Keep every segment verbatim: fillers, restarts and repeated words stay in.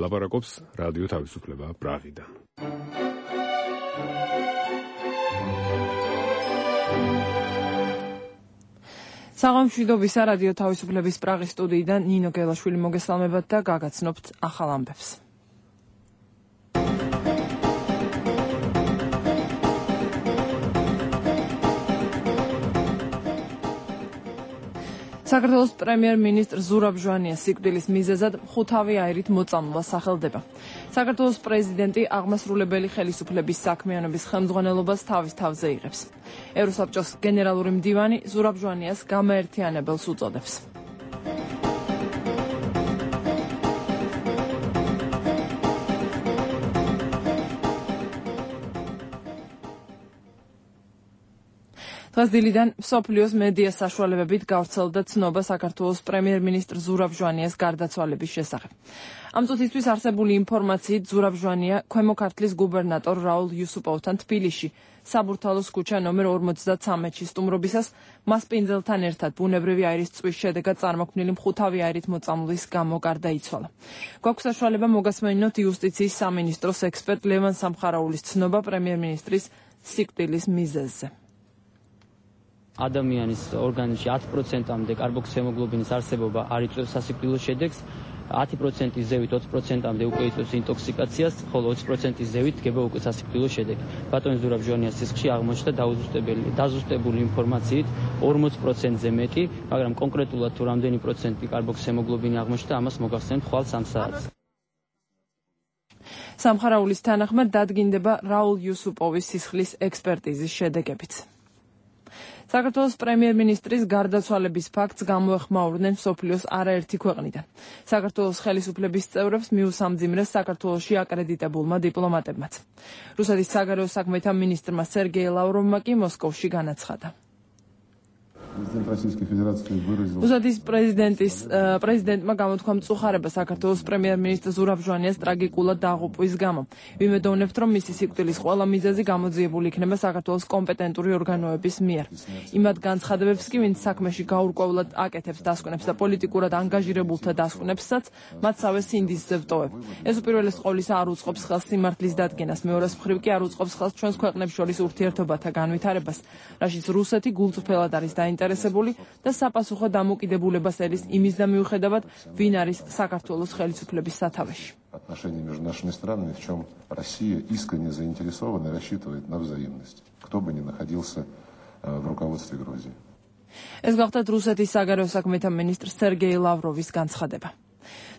ლაპარაკობს რადიო თავისუფლება პრაღიდან. საღამშვიდობისა რადიო თავისუფლების პრაღის სტუდიიდან ნინო გელაშვილი მოგესალმებათ და გაგაცნობთ ახალ ამბებს. საქართველოს პრემიერ-მინისტრ ზურაბ ჟვანიას სიკვდილის მიზეზად ხუთავი აირით მოწამვლა სახელდება. საქართველოს პრეზიდენტი აღმასრულებელი ხელისუფლების საქმიანობის ხელმძღვანელობას თავის თავზე იღებს. ევროსაბჭოს გენერალური მდივანი ზურაბ ჟვანიას გამაერთიანებელს უწოდებს. დღეს დილიდან მსოფლიოს მედია საშუალებებით გავრცელდა ცნობა საქართველოს პრემიერ-მინისტრ ზურაბ ჟვანიას გარდაცვალების შესახებ. ამ წუთისთვის არსებული ინფორმაციით ზურაბ ჟვანია ქვემო ქართლის გუბერნატორ რაულ იუსუპოვთან თბილისში საბურთალოს ქუჩა ნომერ ორმოცდათვრამეტში სტუმრობისას მას პინძელთან ერთად ბუნებრივი აირის წვის შედეგად წარმოქმნილი მხუთავი აირით მოწამვლის გამო გარდაიცვალა. გვაქვს საშუალება მოგასმენინოთ იუსტიციის სამინისტროს ექსპერტ ლევან სამხარაულის ცნობა პრემიერ-მინისტრის სიკვდილის მიზეზზე. ადამიანის ორგანიზმში ათი პროცენტამდე კარბოქსიმოგლობინის არსებობა არ იწვევს სასიკვდილო შედეგს, ათი პროცენტის ზევით ოცი პროცენტამდე უკვე იწვევს ინტოქსიკაციას, ხოლო ოცი პროცენტის ზევით დგება უკვე სასიკვდილო შედეგი. ბატონ ზურაბ ჟვანიას სისხლში აღმოჩნდა დაუზუსტებელი დაზუსტებული ინფორმაციით ორმოცი პროცენტზე მეტი, მაგრამ კონკრეტულად თუ რამდენი პროცენტი კარბოქსიმოგლობინი აღმოჩნდა, ამას მოგახსენებთ ხვალ სამ საათს. სამხარაულის თანახმად დადგინდება რაულ იუსუპოვის სისხლის ექსპერტიზის შედეგებიც. საქართველოს პრემიერ-მინისტრის გარდაცვალების ფაქტს გამოეხმაურნენ მსოფლიოს არაერთი ქვეყნიდან. საქართველოს ხელისუფლების წევრებს მიუსამძიმრეს საქართველოში აკრედიტებულმა დიპლომატებმაც. რუსეთის საგარეო საქმეთა მინისტრმა სერგეი ლავროვმა კი მოსკოვში განაცხადა. რუსეთის პრეზიდენტის პრეზიდენტმა გამოთქვა მწუხარება საქართველოს პრემიერ-მინისტრ ზურაბ ჟვანიას ტრაგიკულად დაღუპვის გამო. ვიმედოვნებთ, რომ მისი სიკვდილის ყველა მიზეზი გამოძიებული იქნება საქართველოს კომპეტენტური ორგანოების მიერ. იმათ განცხადებებს კი, ვინც საქმეში გაურკვევლად აკეთებს დასკვნებს და პოლიტიკურად ანგაჟირებულთა დასკვნებსაც, მათ სავე სინდისზე ვტოვებ. ეს უპირველეს ყოვლისა არ უწყობს ხელს სიმართლის დადგენას, მეორეს მხრივ კი არ უწყობს ხელს ჩვენს ქვეყნებს შორის ურთიერთობათა განვითარებას, რაშიც რუსეთი გულწრფელად არის დაინტერესებული და საპასუხო დამოკიდებულებას ერის იმის და მიუხედავად, ვინ არის საქართველოს ხელისუფლების სათავეში. Отношения между нашими странами, в чем Россия искренне заинтересована и рассчитывает на взаимность, кто бы ни находился в руководстве Грузии. ეს გახლდათ რუსეთის საგარეო საქმეთა მინისტრ სერგეი ლავროვის განცხადება.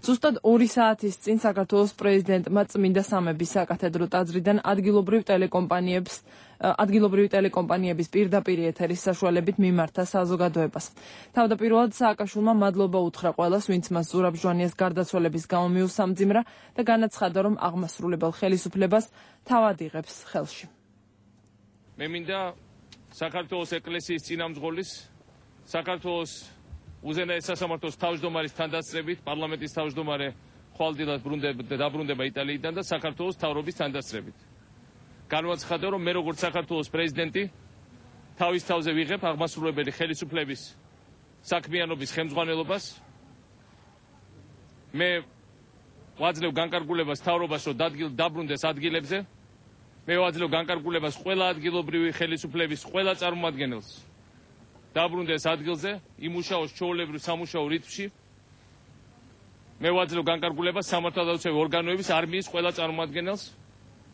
ზუსტად ორი საათის წინ საქართველოს პრეზიდენტმა წმინდა სამების საკათედრო ტაძრიდან ადგილობრივ ტელეკომპანიებს ადგილობრივი ტელეკომპანიების პირდაპირ ეთერის საშუალებით მიმართა საზოგადოებას. თავდაპირველად სააკაშვილმა მადლობა უთხრა ყველას, ვინც მას ზურაბ ჟვანიას გარდაცვალების გამო მიუსამძიმრა და განაცხადა, რომ აღმასრულებელ ხელისუფლებას თავად იღებს ხელში. მე მინდა საქართველოს ეკლესიის წინამძღოლის, საქართველოს უზენაეს სასამართლოს თავმჯდომარის თანდასწრებით, პარლამენტის თავმჯდომარე ხვალდილად დაბრუნდება იტალიიდან და საქართველოს მთავრობის თანდასწრებით. განვაცხადა, რომ მე როგორც საქართველოს პრეზიდენტი თავის თავზე ვიღებ აღმასრულებელი ხელისუფლების საქმიანობის ხელმძღვანელობას. მე ვაძლევ განკარგულებას მთავრობას, რომ დაბრუნდეს ადგილებზე. მე ვაძლევ განკარგულებას ყველა ადგილობრივი ხელისუფლების ყველა წარმომადგენელს დაბრუნდეს ადგილზე, იმუშაოს ჩვეულებრივ სამუშაო რიტმში. მე ვაძლევ განკარგულებას სამართალდაცვი ორგანოების არმიის ყველა წარმომადგენელს,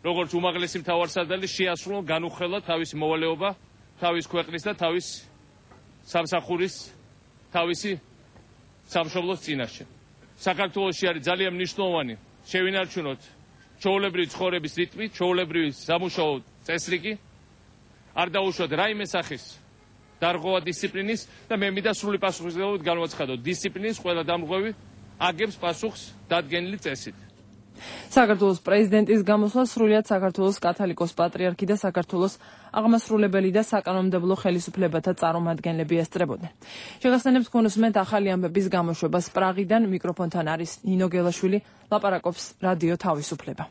როგორც უმაღლესი მთავარსარდალი შეასრულონ განუხელად თავისი მოვალეობა, თავის ქვეყნის და თავის სამსახურის, თავისი სამშობლოს წინაშე. საქართველოში არის ძალიან მნიშვნელოვანი შევინარჩუნოთ ჩვეულებრივი ცხოვრების რიტმი, ჩვეულებრივი სამუშაო წესრიგი, არ დაუშვათ რაიმე სახის დარღვევა დისციპლინის და მე მინდა სრული პასუხისმგებლობით განვაცხადოთ, დისციპლინის ყველა დამრღვევი აგებს პასუხს დადგენილი წესით. საქართველოს პრეზიდენტის გამოსვლა სრულიად საქართველოს კათოლიკოს პატრიარქი და საქართველოს აღმასრულებელი და საკანონმდებლო ხელისუფლებათა წარმომადგენლები ესწრებოდნენ. შეგახსენებთ გქონდეთ ახალი ამბების გამოშვებას პრაღიდან, მიკროფონთან არის ნინო გელაშვილი, ლაპარაკობს რადიო თავისუფლება.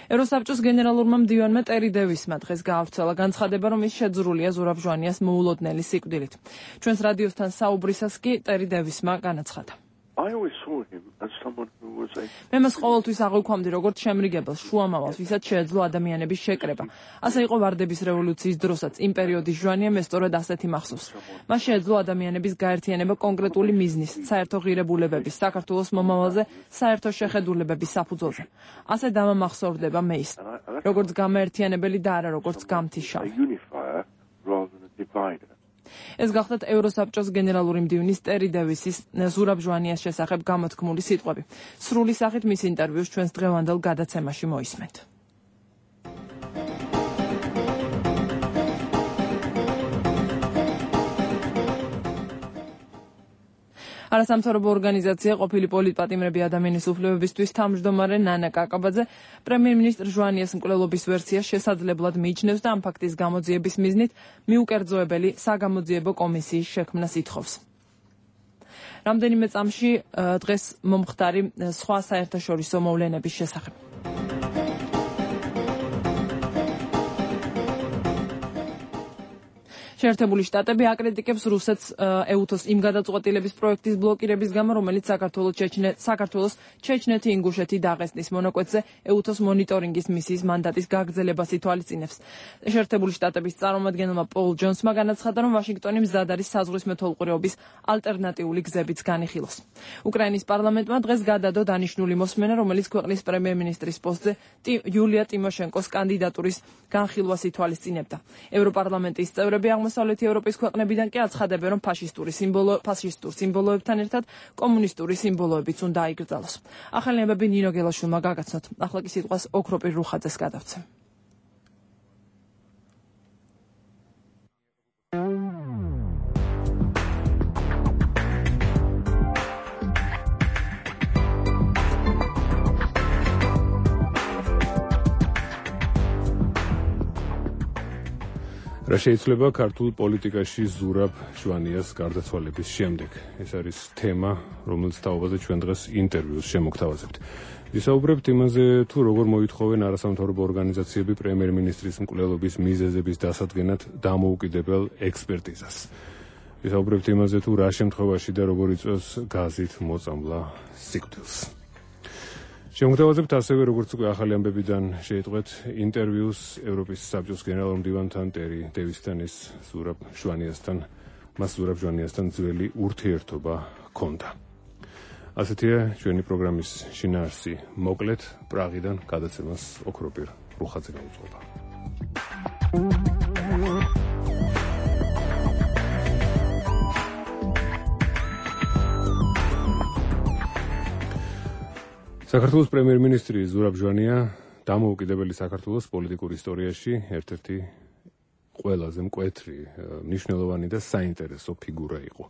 ევროსაბჭოს გენერალურმა მდივანმა ტერი დევისმა დღეს გაავრცელა განცხადება, რომ ის შეძრულია ზურაბ ჟვანიას მოულოდნელი სიკვდილით. ჩვენს რადიოსთან საუბრისას კი ტერი დევისმა განაცხადა. I always saw him as someone who was a მე მას ყოველთვის აღვიქვამდი როგორც შემრიგებელს, შუამავალს, ვისაც შეეძლო ადამიანების შეკრება. ასე იყო ვარდების რევოლუციის დროსაც, იმ პერიოდის ჟვანია მე სწორედ ასეთი მახსოვს. მას შეეძლო ადამიანების გაერთიანება კონკრეტული მიზნის, საერთო ღირებულებების, საქართველოს მომავალზე, საერთო შეხედულებების საფუძველზე. ასე დამამახსოვრდება მე ის, როგორც გამაერთიანებელი და არა როგორც გამთიშავი. unifier rather than a divider. ეს გახლდათ ევროსაბჭოს გენერალური მდივნის ტერი დევისის ზურაბ ჟვანიას შესახებ გამოთქმული სიტყვები. სრული სახით მის ინტერვიუს ჩვენს დღევანდელ გადაცემაში მოისმენთ. არასამთავრობო ორგანიზაცია ყოფილი პოლიტპატიმრები ადამიანის უფლებებისთვის თავმჯდომარე ნანა კაკაბაძე პრემიერ-მინისტრ ჟვანიას მკვლელობის ვერსიას შესაძლებლად მიიჩნევს და ამ ფაქტის გამოძიების მიზნით მიუკერძოებელი საგამოძიებო კომისიის შექმნას ითხოვს. რამდენიმე წამში დღეს მომხდარი სხვა საერთაშორისო მოვლენების შესახებ. შეერთებული შტატები აკრიტიკებს რუსეთს ეუთოს იმ გადაწყვეტილების პროექტის ბლოკირების გამო, რომელიც საქართველოს ჩეჩნე საქართველოს ჩეჩნეთი ინგუშეთი დაღესტნის მონაკვეთზე ეუთოს მონიტორინგის მისიის მანდატის გაგრძელებას ითვალისწინებს. შეერთებული შტატების წარმომადგენელმა პოლ ჯონსმა განაცხადა, რომ ვაშინგტონი მზად არის საზღვრის მეთვალყურეობის ალტერნატიული გზებიც განიხილოს. უკრაინის პარლამენტმა დღეს გადადო დანიშნული მოსმენა, რომელიც ქვეყნის პრემიერ-მინისტრის პოსტზე იულია ტიმოშენკოს კანდიდატურის განხილვას ითვალისწინებდა. ევროპარლამენტის წევრები აღმოსავლეთი ევროპის ქვეყნებიდან კი აცხადებენ, რომ ფაშისტური სიმბოლო ფაშისტურ სიმბოლოებთან ერთად კომუნისტური სიმბოლოებიც უნდა აიკრძალოს. ახალნიებები ნინო გელაშვილმა გაგაცნოთ. ახლა კი სიტყვას ოქროპირ რუხაძეს გადავცემ. რა შეიძლება ქართულ პოლიტიკაში ზურაბ ჟვანიას გარდაცვალების შემდეგ? ეს არის თემა, რომელიც თაობაზე ჩვენ დღეს ინტერვიუს შემოგთავაზებთ. ვისაუბრებთ იმაზე, თუ როგორ მოითხოვენ არასამთავრობო ორგანიზაციები პრემიერ-მინისტრის მკვლელობის მიზეზების დასადგენად დამოუკიდებელ ექსპერტიზას. ვისაუბრებთ იმაზე, თუ რა შემთხვევაში და როგორ იწვევს გაზით მოწამვლა სიკვდილს. შემოგთავაზებთ ასევე, როგორც უკვე ახალი ამბებიდან შეიტყვეთ, ინტერვიუს ევროპის საბჭოს გენერალურ მდივანთან ტერი დევისთან, ის ზურაბ ჟვანიასთან, მას ზურაბ ჟვანიასთან ძველი ურთიერთობა ჰქონდა. ასეთია ჩვენი პროგრამის შინაარსი. მოკლედ, პრაღიდან გადაცემას ოქროპირ რუხაძე გაუძღვება. საქართველოს პრემიერ-მინისტრი ზურაბ ჟვანია დამოუკიდებელი საქართველოს პოლიტიკურ ისტორიაში ერთ-ერთი ყველაზე მკვეთრი, მნიშვნელოვანი და საინტერესო ფიგურა იყო.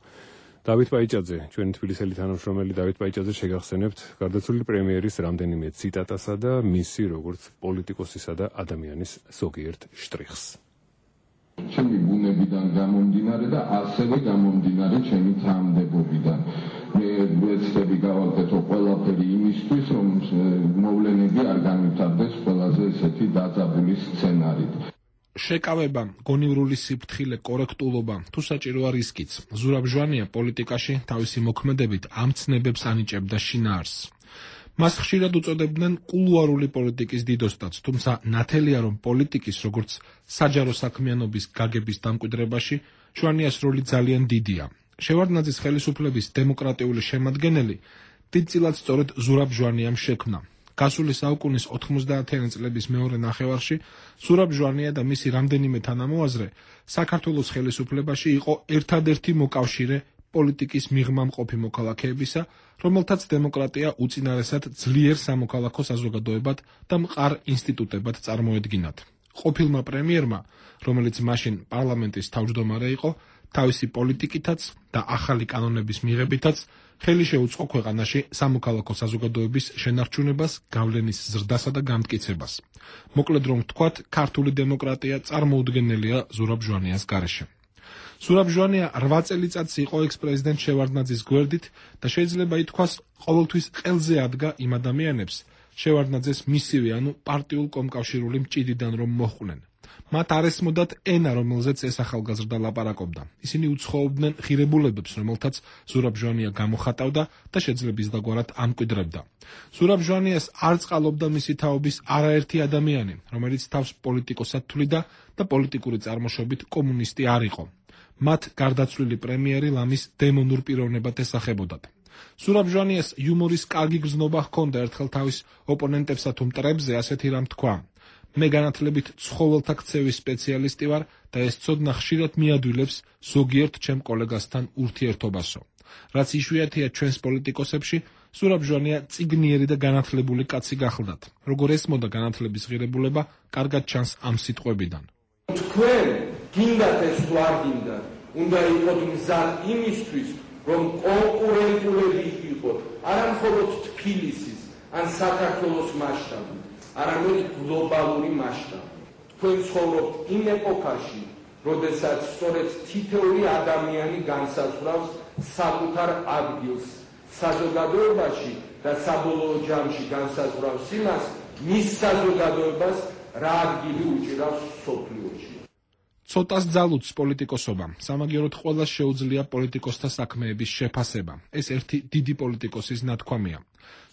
დავით პაიჭაძე, ჩვენი თბილისელი თანამშრომელი დავით პაიჭაძე შეგახსენებთ გარდაცვლილი პრემიერის რამდენიმე ციტატასა და მისი როგორც პოლიტიკოსისა და ადამიანის ზოგიერთ შტრიხს. ჩემი ბუნებიდან გამომდინარე და ასევე გამომდინარე ჩემი თანამდებობიდან. მე ვეცდები გავაკეთო ყველაფერი იმისთვის, რომ მოვლენები არ განვითარდეს ყველაზე ესეთი დაძაბული სცენარით. შეკავება, გონივრული სიფრთხილე, კორექტულობა, თუ საჭიროა რისკიც. ზურაბ ჟვანია პოლიტიკაში თავისი მოქმედებით ამ ცნებებს ანიჭებდა შინაარსს. მას ხშირად უწოდებდნენ კულუარული პოლიტიკის დიდოსტაც, თუმცა ნათელია, რომ პოლიტიკის, როგორც საჯარო საქმიანობის გაგების დამკვიდრებაში, ჟვანიას როლი ძალიან დიდია. შევარდნაძის ხელისუფლების დემოკრატიული შემადგენელი დიდწილად სწორედ ზურაბ ჟვანიამ შექმნა. გასული საუკუნის ოთხმოცდაათიანი წლების მეორე ნახევარში ზურაბ ჟვანია და მისი რამდენიმე თანამოაზრე საქართველოს ხელისუფლებაში იყო ერთადერთი მოკავშირე პოლიტიკის მიღმა მყოფი მოქალაქეებისა, რომელთაც დემოკრატია უწინარესად ძლიერ სამოქალაქო საზოგადოებად და მყარ ინსტიტუტებად წარმოედგინათ. ყოფილმა პრემიერმა, რომელიც მაშინ პარლამენტის თავმჯდომარე იყო, თავისი პოლიტიკითაც და ახალი კანონების მიღებითაც ხელი შეუწყო ქვეყანაში სამოქალაქო საზოგადოების შენარჩუნებას, გავლენის ზრდასა და განმტკიცებას. მოკლედ რომ ვთქვათ, ქართული დემოკრატია წარმოუდგენელია ზურაბ ჟვანიას გარეშე. ზურაბ ჟვანია რვა წელიწადს იყო ექს-პრეზიდენტ შევარდნაძის გვერდით და შეიძლება ითქვას, ყოველთვის ყელზე ადგა იმ ადამიანებს, შევარდნაძეს მისივე, ანუ პარტიულ კომკავშირული მჭიდიდან რომ მოჰყვნენ. მათ არ ესმოდათ ენა, რომელზეც ეს ახალგაზრდა ლაპარაკობდა. ისინი უცხოობდნენ ღირებულებებს, რომელთაც ზურაბ ჟვანია გამოხატავდა და შეძლებისდაგვარად ამკვიდრებდა. ზურაბ ჟვანიას არ წყალობდა მისი თაობის არაერთი ადამიანი, რომელიც თავს პოლიტიკოსად თვლიდა და პოლიტიკური წარმოშობით კომუნისტი არ იყო. მათ გარდაცვლილი პრემიერი ლამის დემონურ პიროვნებად ესახებოდათ. ზურაბ ჟვანიას იუმორის კარგი გრძნობა ჰქონდა ერთხელ თავის ოპონენტებსა თუ მტრებზე ასეთი რამ თქვა: მე განათლებით ცხოველთა ქცევის სპეციალისტი ვარ და ეს ცოდნა ხშირად მიადვილებს ზოგიერთ ჩემ კოლეგასთან ურთიერთობასო. რაც იშვიათია ჩვენს პოლიტიკოსებში, ზურაბ ჟვანია წიგნიერი და განათლებული კაცი გახლდათ. როგორ ესმოდა განათლების ღირებულება, კარგად ჩანს ამ სიტყვებიდან. თქვენ გინდათ ეს თუ არ გინდათ, უნდა იყოთ მზად იმისთვის, რომ კონკურენტულები იყოთ, არა მხოლოდ თბილისის ან საქართველოს მასშტაბით, არამედ გლობალური მასშტაბით. თქვენ ცხოვრობთ იმ ეპოქაში, როდესაც სწორედ თითოეული ადამიანი განსაზღვრავს საკუთარ ადგილს საზოგადოებაში და საბოლოო ჯამში განსაზღვრავს იმას, მის საზოგადოებას რა ადგილი უჭირავს მსოფლიოში. ცოტას ძალუძს პოლიტიკოსობა. სამაგიეროდ ყველას შეუძლია პოლიტიკოსთა საქმეების შეფასება. ეს ერთი დიდი პოლიტიკოსის ნათქვამია.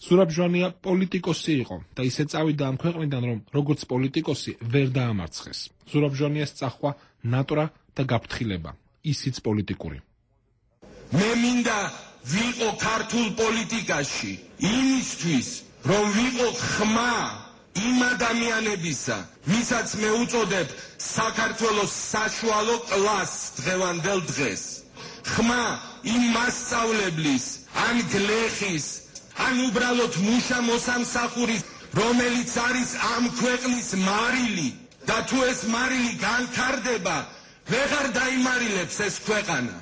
ზურაბ ჟვანია პოლიტიკოსი იყო და ისე წავიდა ამ ქვეყნიდან, რომ როგორც პოლიტიკოსი ვერ დაამარცხეს. ზურაბ ჟვანიას წახვა ნატრა და გაფრთხილება, ისიც პოლიტიკური. მე მინდა ვიყო ქართულ პოლიტიკაში იმისთვის, რომ ვიყო ხმა იმ ადამიანებისა, ვისაც მე უწოდებ საქართველოს საშუალო კლასს დღევანდელ დღეს. ხმა იმ მასწავლებლის, ან გლეხის, ან უბრალოდ მუშა მოსამსახურის, რომელიც არის ამ ქვეყნის მარილი და თუ ეს მარილი განთარდება, ვეღარ დაიმარილებს ეს ქვეყანა.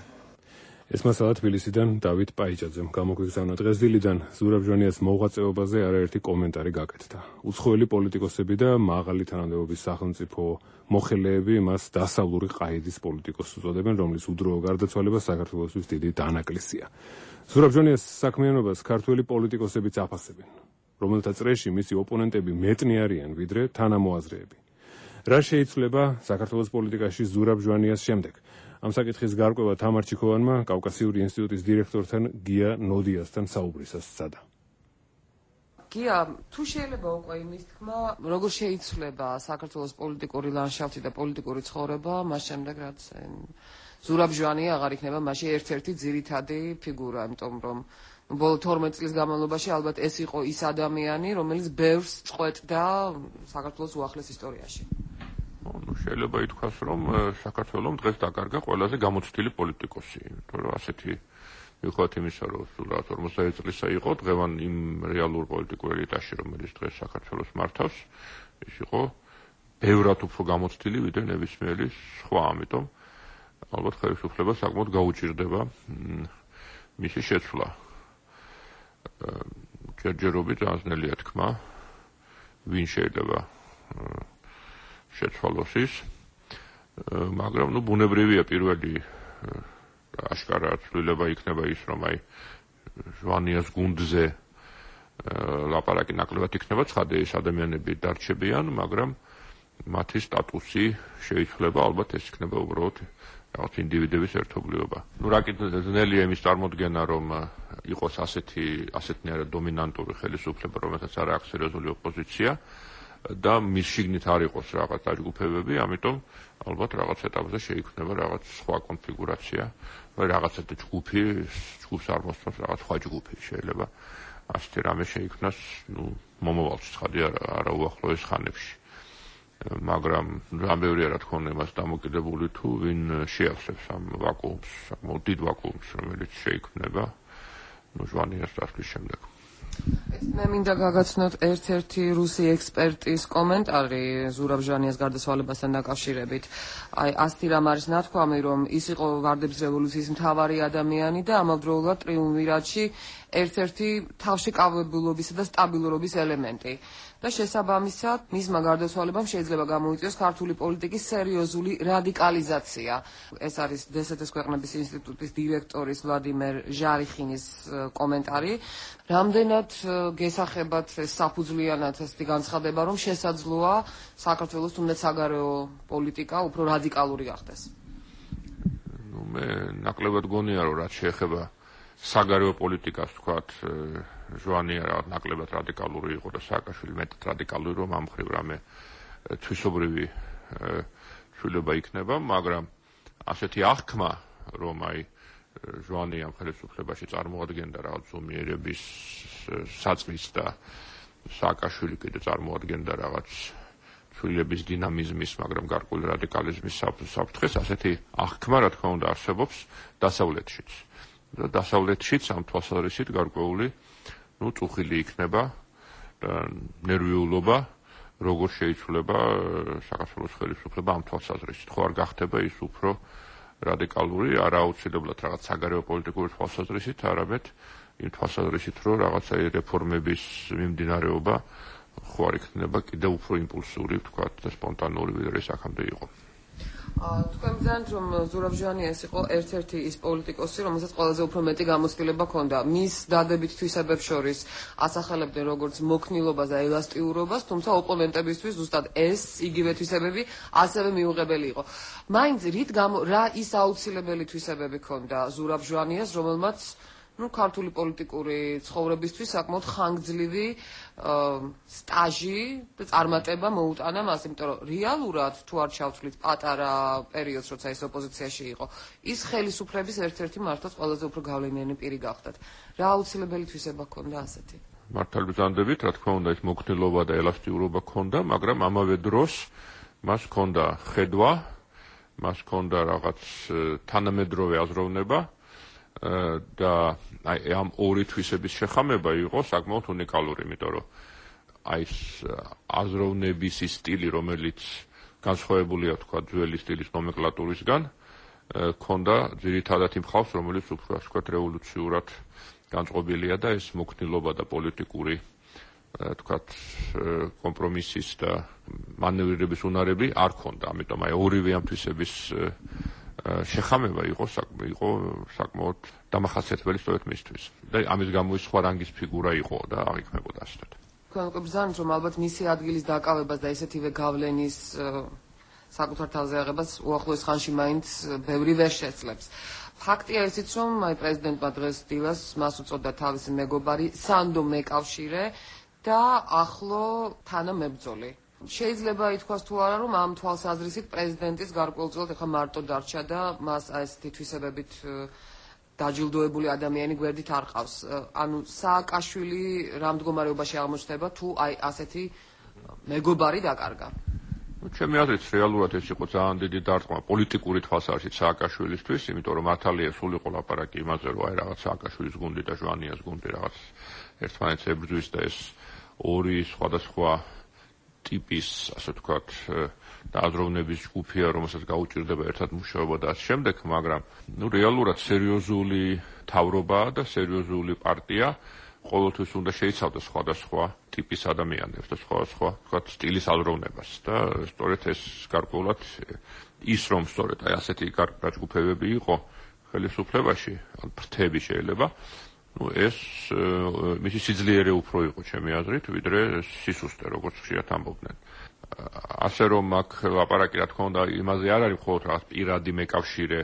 ეს მასალა თბილისიდან დავით პაიჭაძემ გამოგვიგზავნა. დღეს დილიდან ზურაბ ჟვანიას მოღვაწეობაზე არაერთი კომენტარი გაკეთდა. უცხოელი პოლიტიკოსები და მაღალი თანამდებობის სახელმწიფო მოხელეები მას დასავლური ყაიდის პოლიტიკოსს უწოდებენ, რომლის უდროო გარდაცვალება საქართველოსთვის დიდი დანაკლისია. ზურაბ ჟვანიას საქმიანობას ქართველი პოლიტიკოსებიც აფასებენ, რომელთა წრეში მისი ოპონენტები მეტნი არიან ვიდრე თანამოაზრეები. რა შეიცვლება საქართველოს პოლიტიკაში ზურაბ ჟვანიას შემდეგ? ამ საკითხის გარკვევა თამარ ჩიქოვანმა კავკასიური ინსტიტუტის დირექტორთან გია ნოდიასთან საუბრისას სცადა. გია, თუ შეიძლება უკვე იმის თქმა, როგორ შეიცვლება საქართველოს პოლიტიკური ლანდშაფტი და პოლიტიკური ცხოვრება, მას შემდეგ რაც ზურაბ ჟვანია აღარ იქნება მასში ერთ-ერთი ძირითადი ფიგურა, იმიტომ რომ ბოლო თორმეტ წლის განმავლობაში ალბათ ეს იყო ის ადამიანი, რომელიც ბევრს წყვეტდა საქართველოს უახლეს ისტორიაში. ну შეიძლება ითქვას რომ საქართველოს დღეს დაკარგა ყველაზე გამოცდილი პოლიტიკოსი, იმიტომ რომ ასეთი მიუხედავად იმისა რომ სულად ორმოცდაერთი წლისა იყო დღევან იმ რეალურ პოლიტიკურ ელიტაში რომელიც დღეს საქართველოს მართავს, ის იყო ბევრად უფრო გამოცდილი ვიდრე ნებისმიერი სხვა, ამიტომ ალბათ ხელისუფლება საკმაოდ გაუჭირდება მისი შეცვლა. ჯერჯერობით აზნელია თქმა, ვინ შეიძლება შეცვალოს ის, მაგრამ ნუ ბუნებრივია პირველი აშკარა ცვლილება იქნება ის, რომ აი ჟვანიას გუნდზე ლაპარაკი ნაკლებად იქნება, ცხადია ეს ადამიანები დარჩებიან, მაგრამ მათი სტატუსი შეიცვლება, ალბათ ეს იქნება უბრალოდ რაღაც ინდივიდების ერთობლიობა. ნუ რა კიდე ძნელია იმის წარმოდგენა, რომ იყოს ასეთი ასეთნაირად დომინანტური ხელისუფლება, რომელსაც არ აქვს სერიოზული ოპოზიცია და მის შიგნით არ იყოს რაღაც დაჯგუფებები, ამიტომ ალბათ რაღაც ეტაპზე შეიქმნება რაღაც სხვა კონფიგურაცია, vagy რაღაც ჯგუფი, ჯგუფს არ მოსწონს რაღაც სხვა ჯგუფი შეიძლება ასეთი რამე შეიქმნას, ნუ მომავალში ცხადია არა უახლოეს ხანებში. მაგრამ რამევრია რა თქმა უნდა იმას დამოკიდებული თუ ვინ შეავსებს ამ ვაკუუმს, საკმაოდ დიდ ვაკუუმს, რომელიც შეიქმნება ნუ ჟვანიას დასვლის შემდეგ. მე მინდა გაგაცნოთ ერთ-ერთი რუსი ექსპერტის კომენტარი ზურაბ ჟვანიას გარდაცვალებასთან დაკავშირებით. აი ასეთი რამ არის ნათქვამი, რომ ის იყო ვარდების რევოლუციის მთავარი ადამიანი და ამავდროულად ტრიუმვირატში ერთ-ერთი თავშეკავებულობისა და სტაბილურობის ელემენტი. და შესაბამისად, მისმა გარდაცვალებამ შეიძლება გამოიწვიოს ქართული პოლიტიკის სერიოზული რადიკალიზაცია. ეს არის დსთ-ის ქვეყნების ინსტიტუტის დირექტორის ვლადიმერ ჟარიხინის კომენტარი. რამდენად გესახებათ ეს საფუძვლიანად ესეთი განცხადება, რომ შესაძლოა საქართველოს თუნდაც საგარეო პოლიტიკა უფრო რადიკალური გახდეს? ნუ მე ნაკლებად გონია, რომ რაც შეეხება საგარეო პოლიტიკას, თქვათ, ჟვანია რაღაც ნაკლებად რადიკალური იყო და სააკაშვილი მეტად რადიკალური, რომ ამ მხრივ რამე თვისობრივი ცვლილება იქნება, მაგრამ ასეთი აღქმა, რომ აი ჟვანიამ ხელისუფლებაში წარმოადგენდა რაღაც ზომიერების საწყის და სააკაშვილი კიდე წარმოადგენდა რაღაც ცვლილების დინამიზმის, მაგრამ გარკვეული რადიკალიზმის საფრთხეს, ასეთი აღქმა, რა თქმა უნდა, არსებობს დასავლეთშიც. და დასავლეთშიც ამ თვალსაზრისით გარკვეული ნუ წუხილი იქნება და ნერვიულობა, როგორ შეიცვლება საქართველოს ხელისუფლება ამ თვალსაზრისით. ხო არ გახდება ის უფრო რადიკალური, არა აუცილებლად რაღაც საგარეო პოლიტიკური თვალსაზრისით, არამედ იმ თვალსაზრისით, რომ რაღაცა რეფორმების მიმდინარეობა ხო არ იქნება კიდევ უფრო იმპულსური, ვთქვათ, და სპონტანური, ვიდრე ის აქამდე იყო. თქვენ გძანთ, რომ ზურაბ ჟვანიას იყო ერთ-ერთი ის პოლიტიკოსი, რომელსაც ყველაზე უფრო მეტი გამოცდილება ჰქონდა. მის დადებით თვისებებს შორის ასახელებდნენ როგორც მოქნილობას და ელასტიურობას, თუმცა ოპონენტებისთვის ზუსტად ეს იგივე თვისებები ასევე მიუღებელი იყო. მაინც რით გამო რა ის აუცილებელი თვისებები ჰქონდა ზურაბ ჟვანიას, რომელმაც ну ქართული პოლიტიკური ცხოვრებისთვის საკმაოდ ხანგრძლივი სტაჟი და წარმატება მოუტანა მას, იმიტომ რომ რეალურად თუ არ ჩავთვლით პატარა პერიოდს, როცა ის ოპოზიციაში იყო, ის ხელისუფლების ერთ-ერთი მართლაც ყველაზე უფრო გავლენიანი პირი გახდათ. რა აუცილებელი თვისება ჰქონდა ასეთი? მართალი ბრძანდებით, რა თქმა უნდა, ის მოქნილობა და ელასტიურობა ჰქონდა, მაგრამ ამავე დროს მას ჰქონდა ხედვა, მას ჰქონდა რაღაც თანამედროვე აზროვნება და აი ამ ორი თვისების შეხამება იყო საკმაოდ უნიკალური, იმიტომ რომ აი ეს აზროვნების სტილი, რომელიც განსხვავებულია, თქვა, ძველი სტილის ნომენკლატურისგან, ქონდა ძირითადად იმ ხალხს, რომელიც უფრო, ასე ვთქვათ, რევოლუციურად განწყობილია და ეს მოქნილობა და პოლიტიკური, თქვათ, კომპრომისის და მანევრირების უნარები არ ქონდა, ამიტომ აი ორივე ამ თვისების შეხამება იყო იყო საკმაოდ დამახასიათებელი სწორედ მისთვის. და ამის გამო ის სხვა რანგის ფიგურა იყო და აღიქმებოდა ასეთად. თქვენ გვგზავნით, რომ ალბათ მისი ადგილის დაკავებას და ესეთივე გავლენის საკუთარ თავზე აღებას უახლოეს ხანში მაინც ბევრი ვერ შეძლებს. ფაქტია ისიც, რომ აი პრეზიდენტმა დღეს დილას მას უწოდა თავისი მეგობარი სანდო მეკავშირე და ახლო თანამებრძოლი. შეიძლება ითქვას თუ არა, რომ ამ თვალსაზრისით პრეზიდენტის გარკვეულწილად ახლა მარტო დარჩა და მას ასეთი თვისებებით დაჯილდოებული ადამიანი გვერდით არ ყავს. ანუ სააკაშვილი რა მდგომარეობაში აღმოჩნდება თუ აი ასეთი მეგობარი დაკარგა? ჩემი აზრით რეალურად ეს იყო ძალიან დიდი დარტყმა პოლიტიკური თვალსაზრისით სააკაშვილისთვის, იმიტომ რომ მართალია სულ იყო ლაპარაკი იმაზე, რომ აი რაღაც სააკაშვილის გუნდი და ჟვანიას გუნდი რაღაც ერთმანეთს ებრძვის და ეს ორი სხვადასხვა ტიპის, ასე ვთქვათ, აზროვნების ჯგუფია, რომელსაც გაუჭირდება ერთად მუშაობა და ამ შემდეგ, მაგრამ ნუ რეალურად სერიოზული თავრობაა და სერიოზული პარტია ყოველთვის უნდა შეიცავდეს სხვადასხვა ტიპის ადამიანებს და სხვადასხვა, ვთქვათ, სტილის აზროვნებას და სწორედ ეს გარკვეულად ის რომ სწორედ აი ასეთი გაჯგუფებები იყო ხელისუფლებაში, ან ფრთები შეიძლება, ну ეს მისი სიძლიერე უფრო იყო ჩემი აზრით, ვიდრე სისუსტე, როგორც ხშირად ამბობდნენ. ასე რომ აქ ლაპარაკი რა თქმა უნდა იმაზე არ არის მხოლოდ რაღაც პირადი მეკავშირე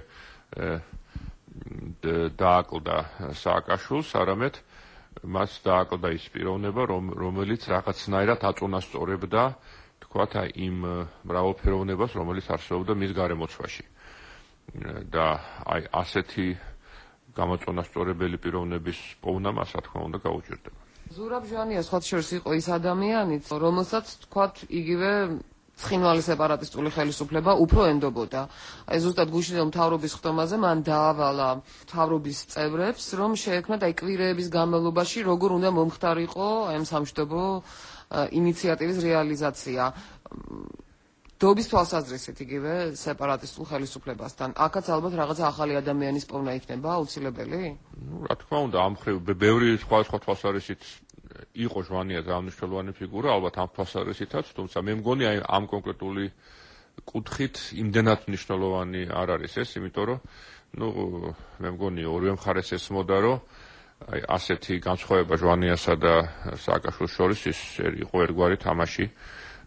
დააკლდა სააკაშვილს, არამედ მას დააკლდა ის პიროვნება, რომელიც რაღაცნაირად აწონასწორებდა, თქვათ, აი იმ მრავალფეროვნებას, რომელიც არსებობდა მის გარემოცვაში. და აი ასეთი გამოწონასწორებელი პიროვნების პოვნა მას, რა თქმა უნდა, გაუჭირდება. ზურაბ ჟვანია სხვათა შორის იყო ის ადამიანიც, რომელსაც, თქვათ, იგივე ცხინვალი სეპარატისტული ხელისუფლება უფრო ენდობოდა. აი ზუსტად გუშინდელ მთავრობის ხდომაზე მან დაავალა მთავრობის წევრებს, რომ შეექმნათ აი კვირეების განმავლობაში როგორ უნდა მომხდარიყო აი ამ სამშვიდობო ინიციატივის რეალიზაცია. დობის თვალსაზრისით იგივე სეპარატისტულ ხელისუფლებასთან. აქაც ალბათ რაღაცა ახალი ადამიანის პოვნა იქნება აუცილებელი? ნუ რა თქმა უნდა, ამ ხრივ ბევრი სხვადასხვა თვალსაზრისით იყო ჟვანია ძალანიშნულოვანი ფიგურა, ალბათ ამ თვალსაზრისითაც, თუმცა მე მგონი აი ამ კონკრეტული კუთხით იმდენად მნიშვნელოვანი არ არის ეს, იმიტომ რომ ნუ მე მგონი ორივე მხარეს ესმოდა, რომ აი ასეთი განსხვავება ჟვანიასა და სააკაშვილის შორის ის იყო ერთგვარი თამაში,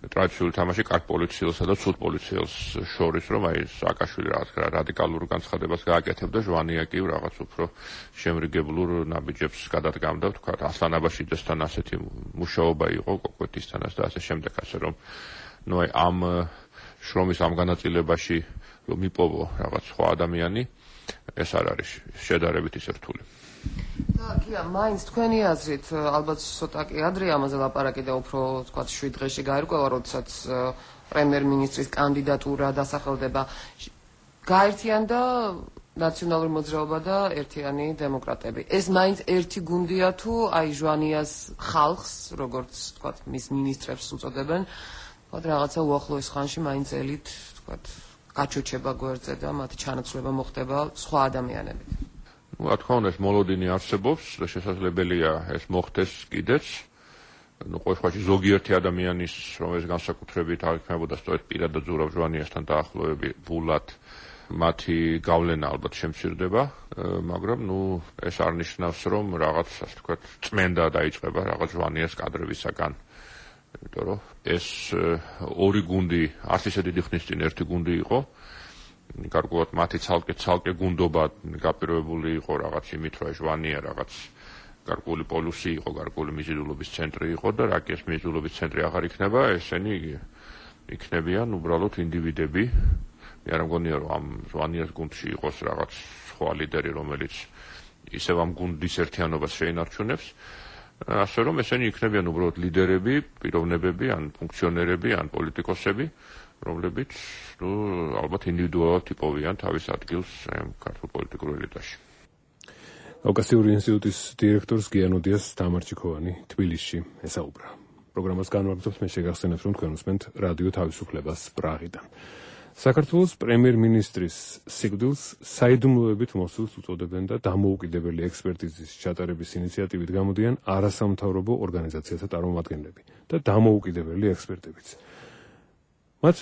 ტრადიციული თამაში კარგ პოლიციელსა და ცუდ პოლიციელს შორის, რომ აი სააკაშვილი რაღაც რადიკალურ განცხადებას გააკეთებდა, ჟვანია კი რაღაც უფრო შემრიგებლურ ნაბიჯებს გადადგამდა, თქვა ასლან აბაშიძესთან ასეთი მუშაობა იყო კოკვეთისთანაც და ასე შემდეგ, ასე რომ ნუ აი ამ შრომის ამ განაწილებაში რომ მიპოვო რაღაც სხვა ადამიანი, ეს არ არის შედარებით ისე რთული. და კია, მაინც თქვენი აზრით, ალბათ ცოტა კი ადრე ამაზე ლაპარაკი და უფრო თქვა შვიდ დღეში გაირკვევა, როდესაც პრემიერ-მინისტრის კანდიდატურა დასახელდება. გაერთიანდა ნაციონალური მოძრაობა და ერთიანი დემოკრატები. ეს მაინც ერთი გუნდია თუ აი ჟვანიას ხალხს, როგორც თქვა მის მინისტრებს უწოდებენ, თქვა რაღაცა უახლოეს ხანში მაინც ელით, თქვა გაჩოჩება გვერდზე და მათი ჩანაცვლება მოხდება სხვა ადამიანებით. ნუ რა თქმა უნდა ეს მოლოდინი არსებობს და შესაძლებელია ეს მოხდეს კიდეც. ნუ ყოველ შემთხვევაში ზოგიერთი ადამიანის რომელიც განსაკუთრებით აღიქმებოდა სწორედ პირადად ზურაბ ჟვანიასთან დაახლოები ბულად მათი გავლენა ალბათ შემცირდება, მაგრამ ნუ ეს არ ნიშნავს რომ რაღაც ასე ვთქვათ წმენდა დაიწყება რაღაც ჟვანიას კადრებისაგან. იმიტომ რომ ეს ორი გუნდი არც ისე დიდი ხნის წინ ერთი გუნდი იყო. გარკვეულად მათი ცალკე ცალკე გუნდობა გაპირობებული იყო რაღაც იმით, რომ ჟვანია რაღაც გარკვეული პოლუსი იყო, გარკვეული მიზიდულობის ცენტრი იყო და რა კი ეს მიზიდულობის ცენტრი აღარ იქნება, ესენი იქნებიან უბრალოდ ინდივიდები. მე არ მგონია რომ ამ ჟვანიას გუნდში იყოს რაღაც სხვა ლიდერი, რომელიც ისევ ამ გუნდის ერთიანობას შეინარჩუნებს. ასე რომ ესენი იქნებიან უბრალოდ ლიდერები, პიროვნებები, ან ფუნქციონერები, ან პოლიტიკოსები, რომლებიც ნუ ალბათ ინდივიდუალურად იპოვიან თავის ადგილს ამ ქართულ პოლიტიკურ ელიტაში. კავკასიური ინსტიტუტის დირექტორს გიანოდიას თამარჩიქოვანი თბილისში ესაუბრა. პროგრამას განმარტავს, მე შეგახსენებთ, რომ თქვენ უსმენთ რადიო თავისუფლებას პრაღიდან. საქართველოს პრემიერ-მინისტრის სიკვდილს საიდუმლოებით მოსულს უწოდებენ და დამოუკიდებელი ექსპერტიზის ჩატარების ინიციატივით გამოდიან არასამთავრობო ორგანიზაციათა წარმომადგენლები და დამოუკიდებელი ექსპერტებიც. მათ